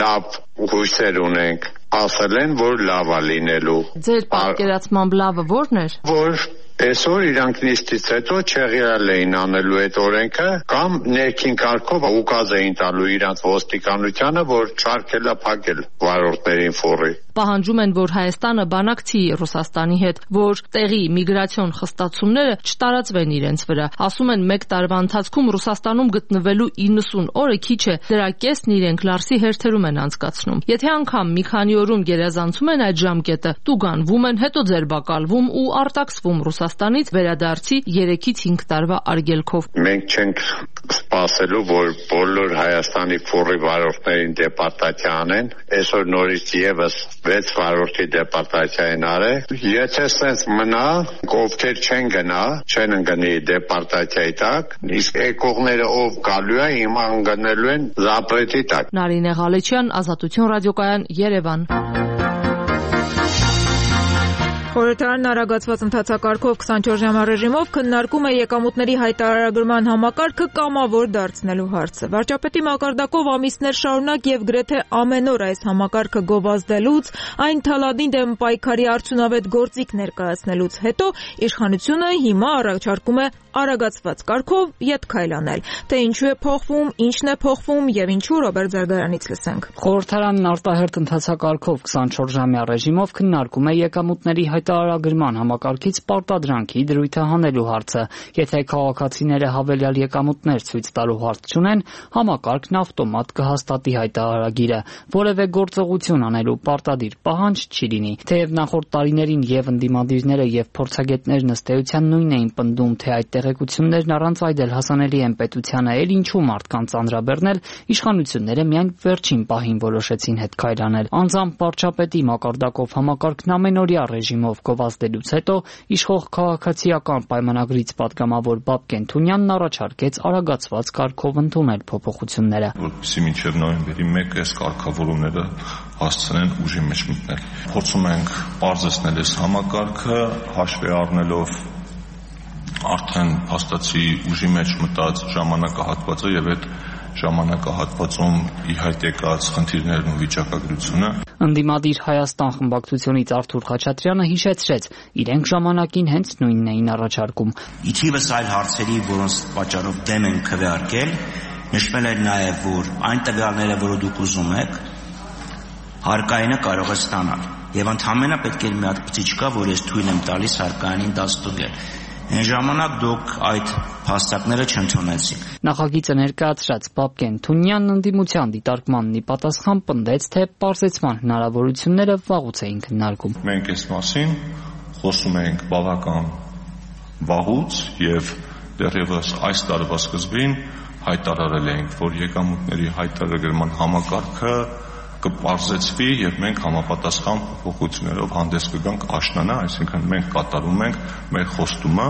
լավ հույսեր ունենք, ասել են որ լավ է լինելու։ Ձեր պատկերացմամբ լավը ո՞րն էր։ Որ այսօր իրանք նիստից հետո չեղյալ էին անելու այդ օրենքը կամ ներքին կարգով ուկազ էին տալու իրանց ոստիկանությանը, որ չարգելափակել վարորդներին ֆորի։ Պահանջում են, որ Հայաստանը բանակցի Ռուսաստանի հետ, որ տեղի միգրացիոն խստացումները չտարածվեն իրենց վրա։ Ասում են, մեկ տարվա ընթացքում Ռուսաստանում գտնվելու իննսուն օրը քիչ է, դրա կեսն իրենք Լարսի հերթերում են անցկացնում։ Եթե անգամ մի քանի օրում գերազանցում են այդ ժամկետը, տուգանվում են, հետո ձերբակալվում ու արտաքսվում Ռուսաստանից վերադարձի երեքից հինգ տարվա արգելքով։ Մենք չենք սպասելու, որ բոլոր Հայաստանի ֆորի վարորդներին դեպարտացիա անեն, այսօր նորից եւս վեց վարորդի դեպարտացիա են արել։ Եթե սենց մնա, ովքեր չեն գնա, չեն ընկնի դեպարտացիայի տակ, իսկ եկողները ով գալու է, հիմա ընկնելու են զապրետի տակ։ Նարինե Ղալեչյան, Ազատություն ռադիոկայան, Երևան։ Խորհրդարանն արագացված ընթացակարգով քսանչորս ժամյա ռեժիմով քննարկում է եկամուտների հայտարարագրման համակարգը կամավոր դարձնելու հարցը։ Վարչապետի մակարդակով ամիսներ շարունակ եւ գրեթե ամեն օր այս համակարգը գովազդելուց, այն թալանին դեմ պայքարի արդյունավետ գործիք ներկայացնելուց հետո իշխանությունը հիմա առաջարկում է արագացված կարգով ետ քայլ անել։ Թե ինչու է փոխվում, ինչն է փոխվում եւ ինչու Ռոբերտ Զարգարանից լսենք։ Խորհրդարանն արտահերթ ընթացակարգով քսանչորս ժամյա ռեժիմով քննարկում է եկամուտների հայտարարագրման համակարգից պարտադրանքի դրույթը հանելու հարցը։ Եթե քաղաքացիները հավելյալ եկամուտներ ցույց տալու հարց չունեն, համակարգն ավտոմատ կհաստատի հայտարարագիրը։ Որևէ գործողություն անելու պարտադիր պահանջ չի լինի։ Թեև նախորդ տարիներին եւ ընդդիմադիրները եւ փորձագետներն ըստ էության նույն էին պնդում, թե այդ տեղեկություններն առանց այդ էլ հասանելի են պետությանը, էլ ինչու մարդկանց անդրաբեռնել, իշխանությունները միայն վերջին պահին որոշեցին հետ քայլ անել։ Անձամբ վարչապետի մակարդակով համակարգն ամենօրյա ռեժիմով գովազդելուց հետո իշխող քաղաքացիական պայմանագրից պատգամավոր Բաբկեն Թունյանն առաջարկեց արագացված կարգով ընդունել փոփոխությունները, որպեսզի մինչև նոյեմբերի մեկը այս կարգավորումները հասցնեն ուժի մեջ մտնել։ Փորձում ենք պարզեցնել այս համակարգը, հաշվի առնելով արդեն փաստացի ուժի մեջ մտած ժամանակահատվածը եւ այդ ժամանակահատվածում ի հայտ եկած խնդիրներն ու վիճակագրությունը։ Ընդդիմադիր Հայաստան խմբակցությունից Արթուր Խաչատրյանը հիշեցրեց, իրենք ժամանակին հենց նույնն էին առաջարկում։ Իթիվս այլ հարցերի, որոնց պատճառով դեմ են քվեարկել, նշվել էր նաեւ, որ այն տվյալները, որը դուք ուզում եք, հարկայինը կարող է ստանալ։ Եվ ընդհանրապես պետք է մի հատ բծիչ կա, որ ես թույլ եմ տալիս հարկայինին դա ստուգել։ Այն ժամանակ դուք այդ փաստարկները չընդունեցիք։ Նախագիծը ներկայացրած Բաբկեն Թունյանն ընդդիմության դիտարկմանն ի պատասխան պնդեց, թե պարզեցման հնարավորությունները վաղուց էին քննարկում։ Մենք այս մասին խոսում ենք բավական վաղուց եւ դեռևս այս տարվա սկզբին հայտարարել էինք, որ եկամուտների հայտարարման համակարգը կպարզեցվի եւ մենք համապատասխան փոփոխություններով հանդես կգանք աշնանը, այսինքն մենք կատարում ենք մեր խոստումը։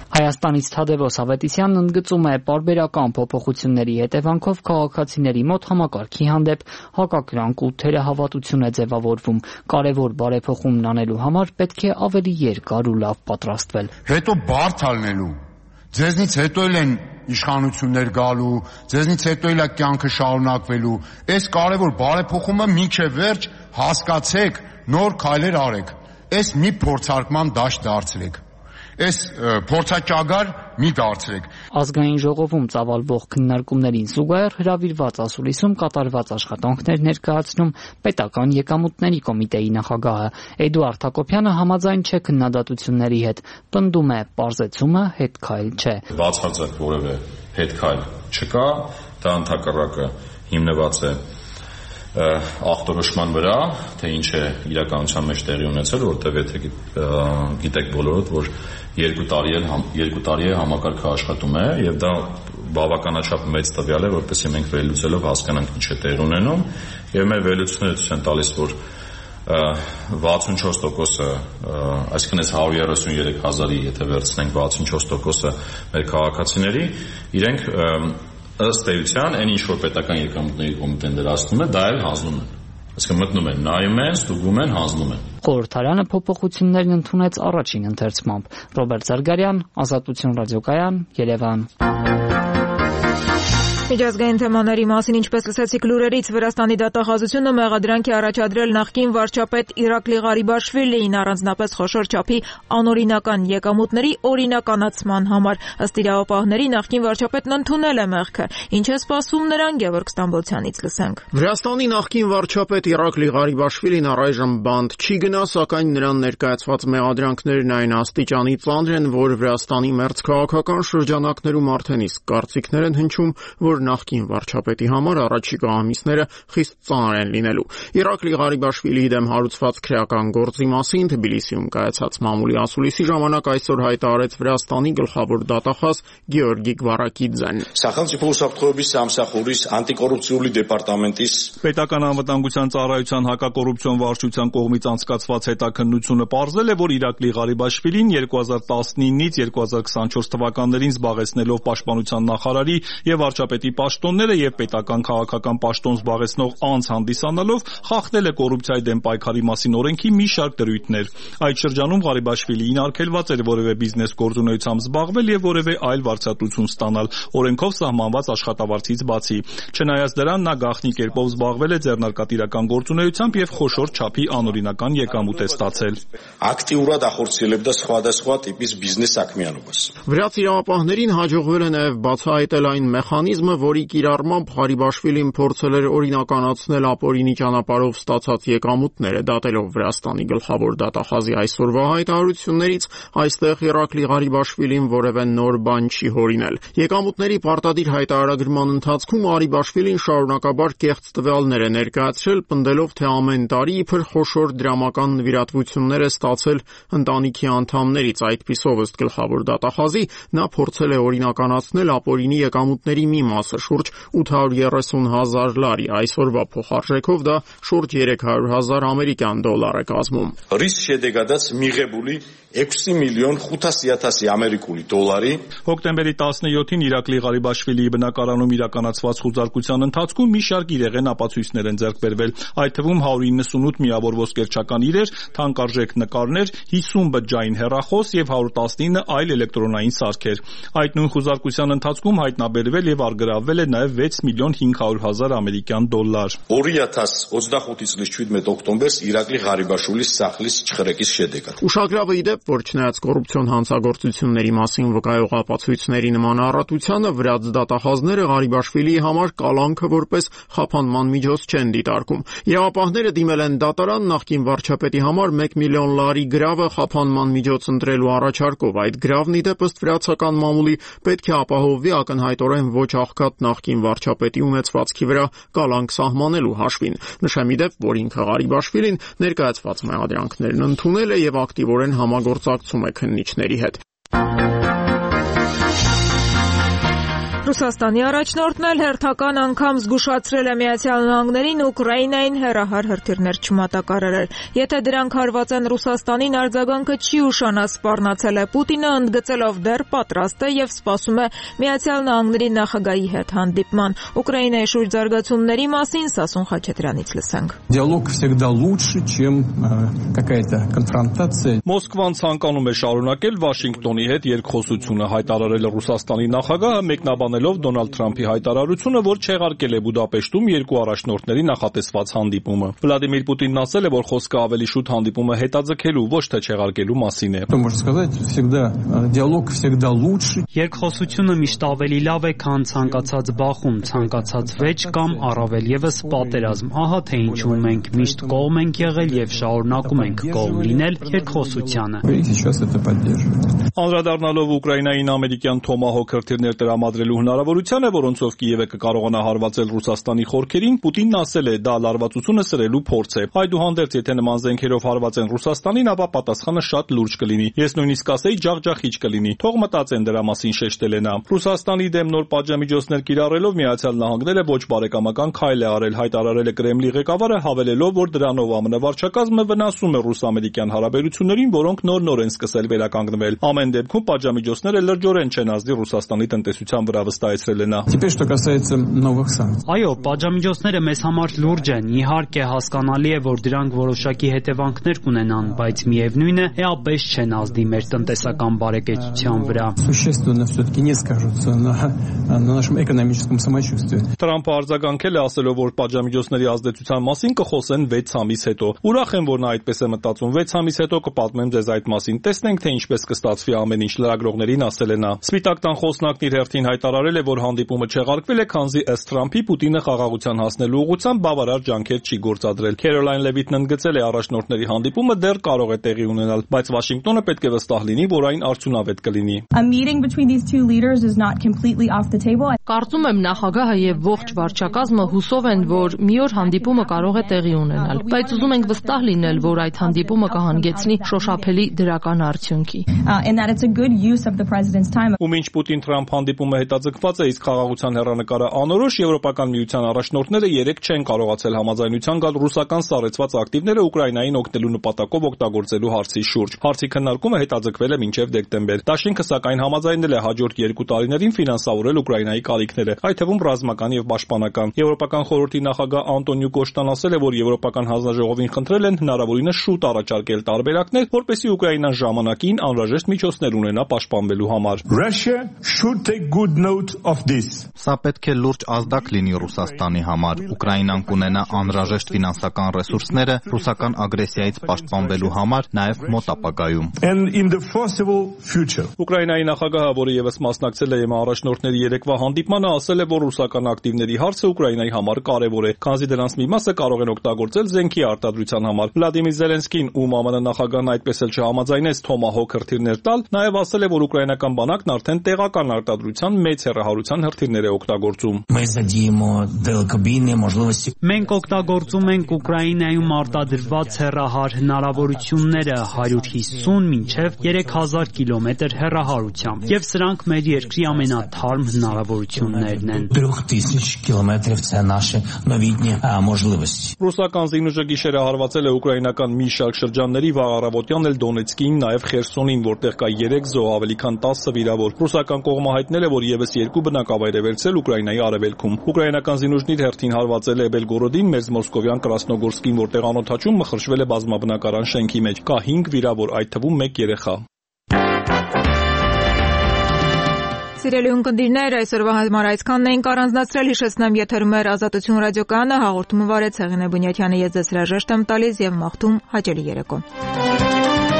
Հայաստանից Թադևոս Ավետիսյանն ընդգծում է, պարբերական փոփոխությունների հետևանքով քաղաքացիների մոտ համակարգի հանդեպ հակակրանք ու թերահավատություն է ձևավորվում։ Կարևոր բարեփոխումն անելու համար պետք է ավելի երկար ու լավ պատրաստվել։ Հետո բարդ ալնելու Ձեզնից հետո էլ են իշխանություններ գալու, ձեզնից հետո էլ է կյանքը շարունակվելու։ Այս կարևոր բարեփոխումը մինչև վերջ հասկացեք, նոր քայլեր արեք։ Այս մի փորձարկման դաշտ դարձրեք։ Այս փորձաճագար մի դարձրեք։ Ազգային ժողովում ծավալվող քննարկումներին զուգահեռ հրավիրված ասուլիսում կատարված աշխատանքներ ներկայացնում պետական եկամուտների կոմիտեի նախագահը Էդուարդ Հակոբյանը համաձայն չէ քննադատությունների հետ, պնդում է պարզեցումը հետքայլ չէ։ Բացարձակ որևէ հետքայլ չկա, դա ընդհակառակը հիմնված է ախտորոշման վրա, թե ինչ է իրականության մեջ տեղի ունեցել, որտեղ եթե գիտեք բոլորդ, որ երկու տարի էլ երկու տարի է համակարգը աշխատում է եւ դա բավականաչափ մեծ տվյալ է, որպեսզի մենք վերլուծելով հասկանանք ինչ է տեղի ունենում եւ մեր վերլուծությունները ցույց են տալիս, որ վաթսունչորս տոկոսը, այսինքն այս հարյուր երեսուններեք հազարի եթե վերցնենք վաթսունչորս տոկոսը մեր քաղաքացիների, իրենք ըստ էության այն ինչ որ պետական եկամուտների կոմիտեն դրացնում է, դա էլ հանձնում են։ Այսինքն մտնում են, նայում են, ստուգում են, հանձնում են։ Խորհրդարանը փոփոխություններն ընդունեց առաջին ընթերցմամբ։ Ռոբերտ Զարգարյան, Ազատություն ռադիոկայան, Երևան։ Միջազգային թեմաների մասին, ինչպես լսեցիք լուրերից, Վրաստանի դատախազությունը մեղադրանք է առաջադրել նախկին վարչապետ Իրակլի Ղարիբաշվիլիին առանձնապես խոշոր չափի անօրինական եկամուտների օրինականացման համար։ Ըստ իրավապահների, նախկին վարչապետն ընդունել է մեղքը։ Ինչ է սպասում նրան, Գևորգ Ստամբոլցյանից լսենք։ Վրաստանի նախկին վարչապետ Իրակլի Ղարիբաշվիլին առայժմ բանտ չի գնա, սակայն նրան ներկայացված մեղադրանքներն այն աստիճանի ծանր են, որ Վրաստանի մերձ քաղաքական շրջանակներում արդեն իսկ կարծիքներ են հնչում, որ նախկին վարչապետի համար առաջիկա ամիսները խիստ ծանր են լինելու։ Իրակլի Ղարիբաշվիլիի դեմ հարուցված քրեական գործի մասին Թբիլիսիում կայացած մամուլի ասուլիսի ժամանակ այսօր հայտարարեց Վրաստանի գլխավոր դատախազ Գեորգի Գվարակիդզեն։ Պետական անվտանգության ծառայության հակակոռուպցիոն վարչության կողմից անցկացված հետաքննությունը պարզել է, որ Իրակլի Ղարիբաշվիլին երկու հազար տասնինից երկու հազար քսանչորս թվականներին զբաղեցնելով պաշտպանության նախարարի եւ վարչապետի վարչապետի պաշտոնները եւ պետական քաղաքական պաշտոն զբաղեցնող անձ հանդիսանալով խախտել է կոռուպցիայի դեմ պայքարի մասին օրենքի մի շարք դրույթներ։ Այդ շրջանում Ղարիբաշվիլիին արգելված էր որևէ բիզնես գործունեությամբ զբաղվել եւ որևէ այլ վարձատրություն ստանալ օրենքով սահմանված աշխատավարձից բացի։ Չնայած դրան նա գաղտնի կերպով զբաղվել է ձեռնարկատիրական գործունեությամբ եւ խոշոր չափի անօրինական եկամուտ է ստացել։ Ակտիվურად ախորցիելებ դա სხვადასხვა տիպის բիզնես საქმიანობას։ Վրաց իրավապահներին հաջողվել է նաև բացահայտել այն մեխանիզմը, որի կիրառմամբ Ղարիբաշվիլին փորձել էր օրինականացնել ապօրինի ճանապարհով ստացած եկամուտները, դատելով Վրաստանի գլխավոր դատախազի այսօրվա հայտարարություններից, այստեղ Իռակլի Ղարիբաշվիլին որևէ նոր բան չի հորինել։ Եկամուտների պարտադիր հայտարարագրման ընթացքում Ղարիբաշվիլին շարունակաբար կեղծ տվյալներ է ներկայացրել, պնդելով, թե ամեն տարի իբր խոշոր դրամական նվիրատվություններ է ստացել ընտանիքի անդամներից, այդպիսով ըստ գլխավոր դատախազի նա փորձել է օրինականացնել ապօրինի եկամուտների մի մասը, շուրջ ութ հարյուր երեսուն հազար լարի, այսօրվա փոխարժեքով դա շուրջ երեք հարյուր հազար ամերիկյան դոլար է կազմում։ Რის შედეგადაც მიღებული ექვსი მილიონი ხუთასი ათასი ამერიკული դոլարի հոկտեմբերի տասնյոթին Իռակլի Ղարիբաշվիլիի բնակարանում իրականացված խուզարկության ընթացքում մի շարք իրեղեն ապացույցներ են ձեռք բերվել, այդ թվում հարյուր իննսունութ միավոր ոսկերչական իրեր, թանկարժեք նկարներ, հիսուն բջջային հեռախոս եւ հարյուր տասնինը այլ էլեկտրոնային սարքեր։ Այդ նույն խուզարկության ընթացքում հայտնաբերվել եւ արգրավվել է նաեւ վեց միլիոն հինգ հարյուր հազար ամերիկյան դոլար։ ორი ათას ოცდახუთი წლის შვიდმეტ ოქტომბერს Իռակլի Ղարիբաշვილის սախլից չխրեկից შედეგად։ Ուշագրավը ի դեպ, որ չնայած կոռուպցիոն հանցագործությունների մասին վկայող ապացույցների նման առատությանը, վրաց դատախազները Ղարիբաշվիլիի համար կալանքը որպես խափանման միջոց չեն դիտարկում։ Իրավապահները դիմել են դատարան նախկին վարչապետի համար մեկ միլիոն լարի գրավը խափանման միջոց ընտրելու առաջարկով։ Այդ գրավն ի դեպ ըստ վրացական մամուլի պետք է ապահովվի ակնհայտորեն ոչ աղքատ նախկին վարչապետի ունեցվածքի վրա կալանք սահմանելու հաշվին։ Նշեմ ի դեպ, որ ինքը Ղարիբաշվիլին ներկայացված մեղադրանքներն ընդունել է եւ ակտիվորեն համագործակցում է քննիչների հետ։ Ռուսաստանի առաջնորդն էլ հերթական անգամ զգուշացրել է Միացյալ Նահանգներին Ուկրաինային հեռահար հրթիռներ չմատակարարել։ Եթե դրանք հարված են Ռուսաստանին, արձագանքը չի ուշանա, սպառնացել է Պուտինը, ընդգծելով դեռ պատրաստ է եւ սպասում է Միացյալ Նահանգների նախագահի հետ հանդիպման։ Ուկրաինայի շուրջ զարգացումների մասին Սասուն Խաչատրյանից լսենք։ Диалог всегда лучше, чем какая-то конфронтация. Մոսկվան ցանկանում է շարունակել Վաշինգտոնի հետ երկխոսությունը, հայտարարել է Ռուսաստանի նախագահը, մեկնաբանել Դոնալդ Թրամփի հայտարարությունը, որ չեղարկել է Բուդապեշտում երկու առաջնորդների նախատեսված հանդիպումը։ Վլադիմիր Պուտինն ասել է, որ խոսքը ավելի շուտ հանդիպումը հետաձգելու, ոչ թե չեղարկելու մասին է։ Երկխոսությունը միշտ ավելի լավ է, քան ցանկացած բախում, ցանկացած վեճ կամ առավել եւս պատերազմ։ Ահա թե ինչու մենք միշտ կողմ ենք եղել եւ շարունակում ենք կողմ լինել երկխոսությանը։ Անդրադառնալով Ուկրաինային ամերիկյան Թոմահոք հրթիռներ տրամադրելու հնարավորությանը, որոնցով Կիևը կկարողանա հարվածել Ռուսաստանի խորքերին, Պուտինն ասել է, դա լարվածությունը սրելու փորձ է։ Այդուհանդերձ, եթե նման զենքերով հարվածեն Ռուսաստանին, ապա պատասխանը շատ լուրջ կլինի։ Ես նույնիսկ ասեի ջախջախիչ կլինի։ Թող մտածեն դրա մասին, շեշտել է նա։ Ռուսաստանի դեմ նոր պատժամիջոցներ կիրառելով Միացյալ Նահանգները ոչ բարեկամական քայլ է արել, հայտարարել է Կրեմլի ղեկավարը, հավելելով, որ դրանով ԱՄՆ վարչակազմը վնասում է ռուս-ամերիկյան հարաբերություններին, որոնք նոր-նոր են սկսել վերականգնվել։ Ամեն դեպքում պատժամիջոցները լրջորեն չեն ազդի Ռուսաստանի տնտեսության վրա, վստահեցրել է նա։ Այո, պատժամիջոցները մեզ համար լուրջ են։ Իհարկե հասկանալի է, որ դրանք որոշակի հետևանքներ կունենան, բայց միևնույն է, էապես չեն ազդի մեր տնտեսական բարեկեցության վրա։ Թրամփը արձագանքել է, ասելով, որ պատժամիջոցների ազդեցության մասին կխոսեն վեց ամիս հետո։ Ուրախ եմ, որ նա այդպես է մտածում։ վեց ամիս հետո կպատմեմ ձեզ այդ մասին։ Տեսնենք, թե ինչպես կստացվի ամեն ինչ, լրագրողներին ասել է նա։ Սպիտակ տան խոսնակն իր հերթին հայտարարել է, որ հանդիպումը չեղարկվել է, քանզի ըստ Թրամփի Պուտինը խաղաղության հասնելու ուղղությամբ բավարար ջանքեր չի գործադրել։ Քերոլայն Լևիթն ընդգծել է, առաջնորդների հանդիպումը դեռ կարող է տեղի ունենալ, բայց Վաշինգտոնը պետք է վստահ լինի, որ այն արդյունավետ կլինի։ Կարծում եմ նախագահը եւ ողջ վարչակազմը հուսով են, որ մի օր հանդիպումը կարող է տեղի ունենալ, բայց ուզում ենք վստահ լինել, որ այդ հանդիպումը կհանգեցնի շոշափելի դրական արդյունքի։ that it's a good use of the president's time. Ու մինչ Պուտին-Թրամփ հանդիպումը հետաձգված է, իսկ խաղաղության հեռանկարը անորոշ, Եվրոպական միության առաջնորդները երեք չեն կարողացել համաձայնության գալ ռուսական սառեցված ակտիվները Ուկրաինային օգնելու նպատակով օգտագործելու հարցի շուրջ։ Հարցի քննարկումը հետաձգվել է մինչև դեկտեմբեր։ Դաշինքը սակայն համաձայնել է հաջորդ երկու տարիներին ֆինանսավորել Ուկրաինայի կարիքները, այդ թվում ռազմական եւ պաշտպանական։ Եվրոպական խորհրդի նախագահ Անտոնիո Կոշտան ասել է, որ Եվրոպական հանձնաժողովին խնդրել են հնարավորինս շուտ առաջարկել տարբերակներ, որպեսզի Ուկրաինան ժամանակին անհրաժեշտ միջոցներ ունենա պաշտպանվելու համար։ Russia should take good note of this. Սա պետք է լուրջ ազդակ լինի Ռուսաստանի համար։ Ուկրաինան կունենա անհրաժեշտ ֆինանսական ռեսուրսները ռուսական ագրեսիայից պաշտպանվելու համար նաև մոտ ապագայում։ And in the foreseeable future. Ուկրաինայի նախագահը, որը եւս մասնակցել է ԵՄ առաջնորդների երեկվա հանդիպմանը, ասել է, որ ռուսական ակտիվների հարցը Ուկրաինայի համար կարևոր է, քանզի դրանց մի մասը կարող են օգտագործել զենքի արտադրության համար։ Վլադիմիր Զելենսկին, ում ԱՄՆ նախագահն այդպես էլ չհամաձայնեց Թոմահոք հրթիռներ տալ, նաև ասել է, որ ուկրաինական բանակն արդեն տեղական արտադրության մեծ հեռահարության հրթիռներ է օգտագործում։ Մենք օգտագործում ենք Ուկրաինայում արտադրված հեռահար հնարավորությունները հարյուր հիսուն մինչև երեք հազար կիլոմետր հեռահարությամբ, եւ սրանք մեր երկրի ամենաթարմ հնարավորություններն են։ Ռուսական զինուժը գիշերը հարվածել է ուկրաինական մի շարք շրջանների, վաղ առավոտյան էլ Դոնեցկին, նաև Խերսոնին, որտեղ կա երեք զոհ, ավելի քան տասը վիրավոր։ Ռուսական կողմը հայտնել է, որ եւս երկու բնակավայր է վերցրել Ուկրաինայի արևելքում։ Ուկրաինական զինուժն իր հերթին հարվածել է Բելգորոդին, մեծ Մոսկովյան Կրասնոգորսկին, որտեղ անօդաչում մխրճվել է բազմաբնակարան շենքի մեջ։ Կա հինգ վիրավոր, այդ թվում մեկ երեխա։ Սիրելի ունկնդիրներ, այսօրվա համար այսքանն էինք առանձնացրել, հիշեցնեմ եթերում էր Ազատություն ռադիոկայանը, հաղորդումը վարեց Հեղինե Բունյաթյանը, ես ձեզ հրաժեշտ եմ տալիս եւ մաղթում հաճելի երեկո։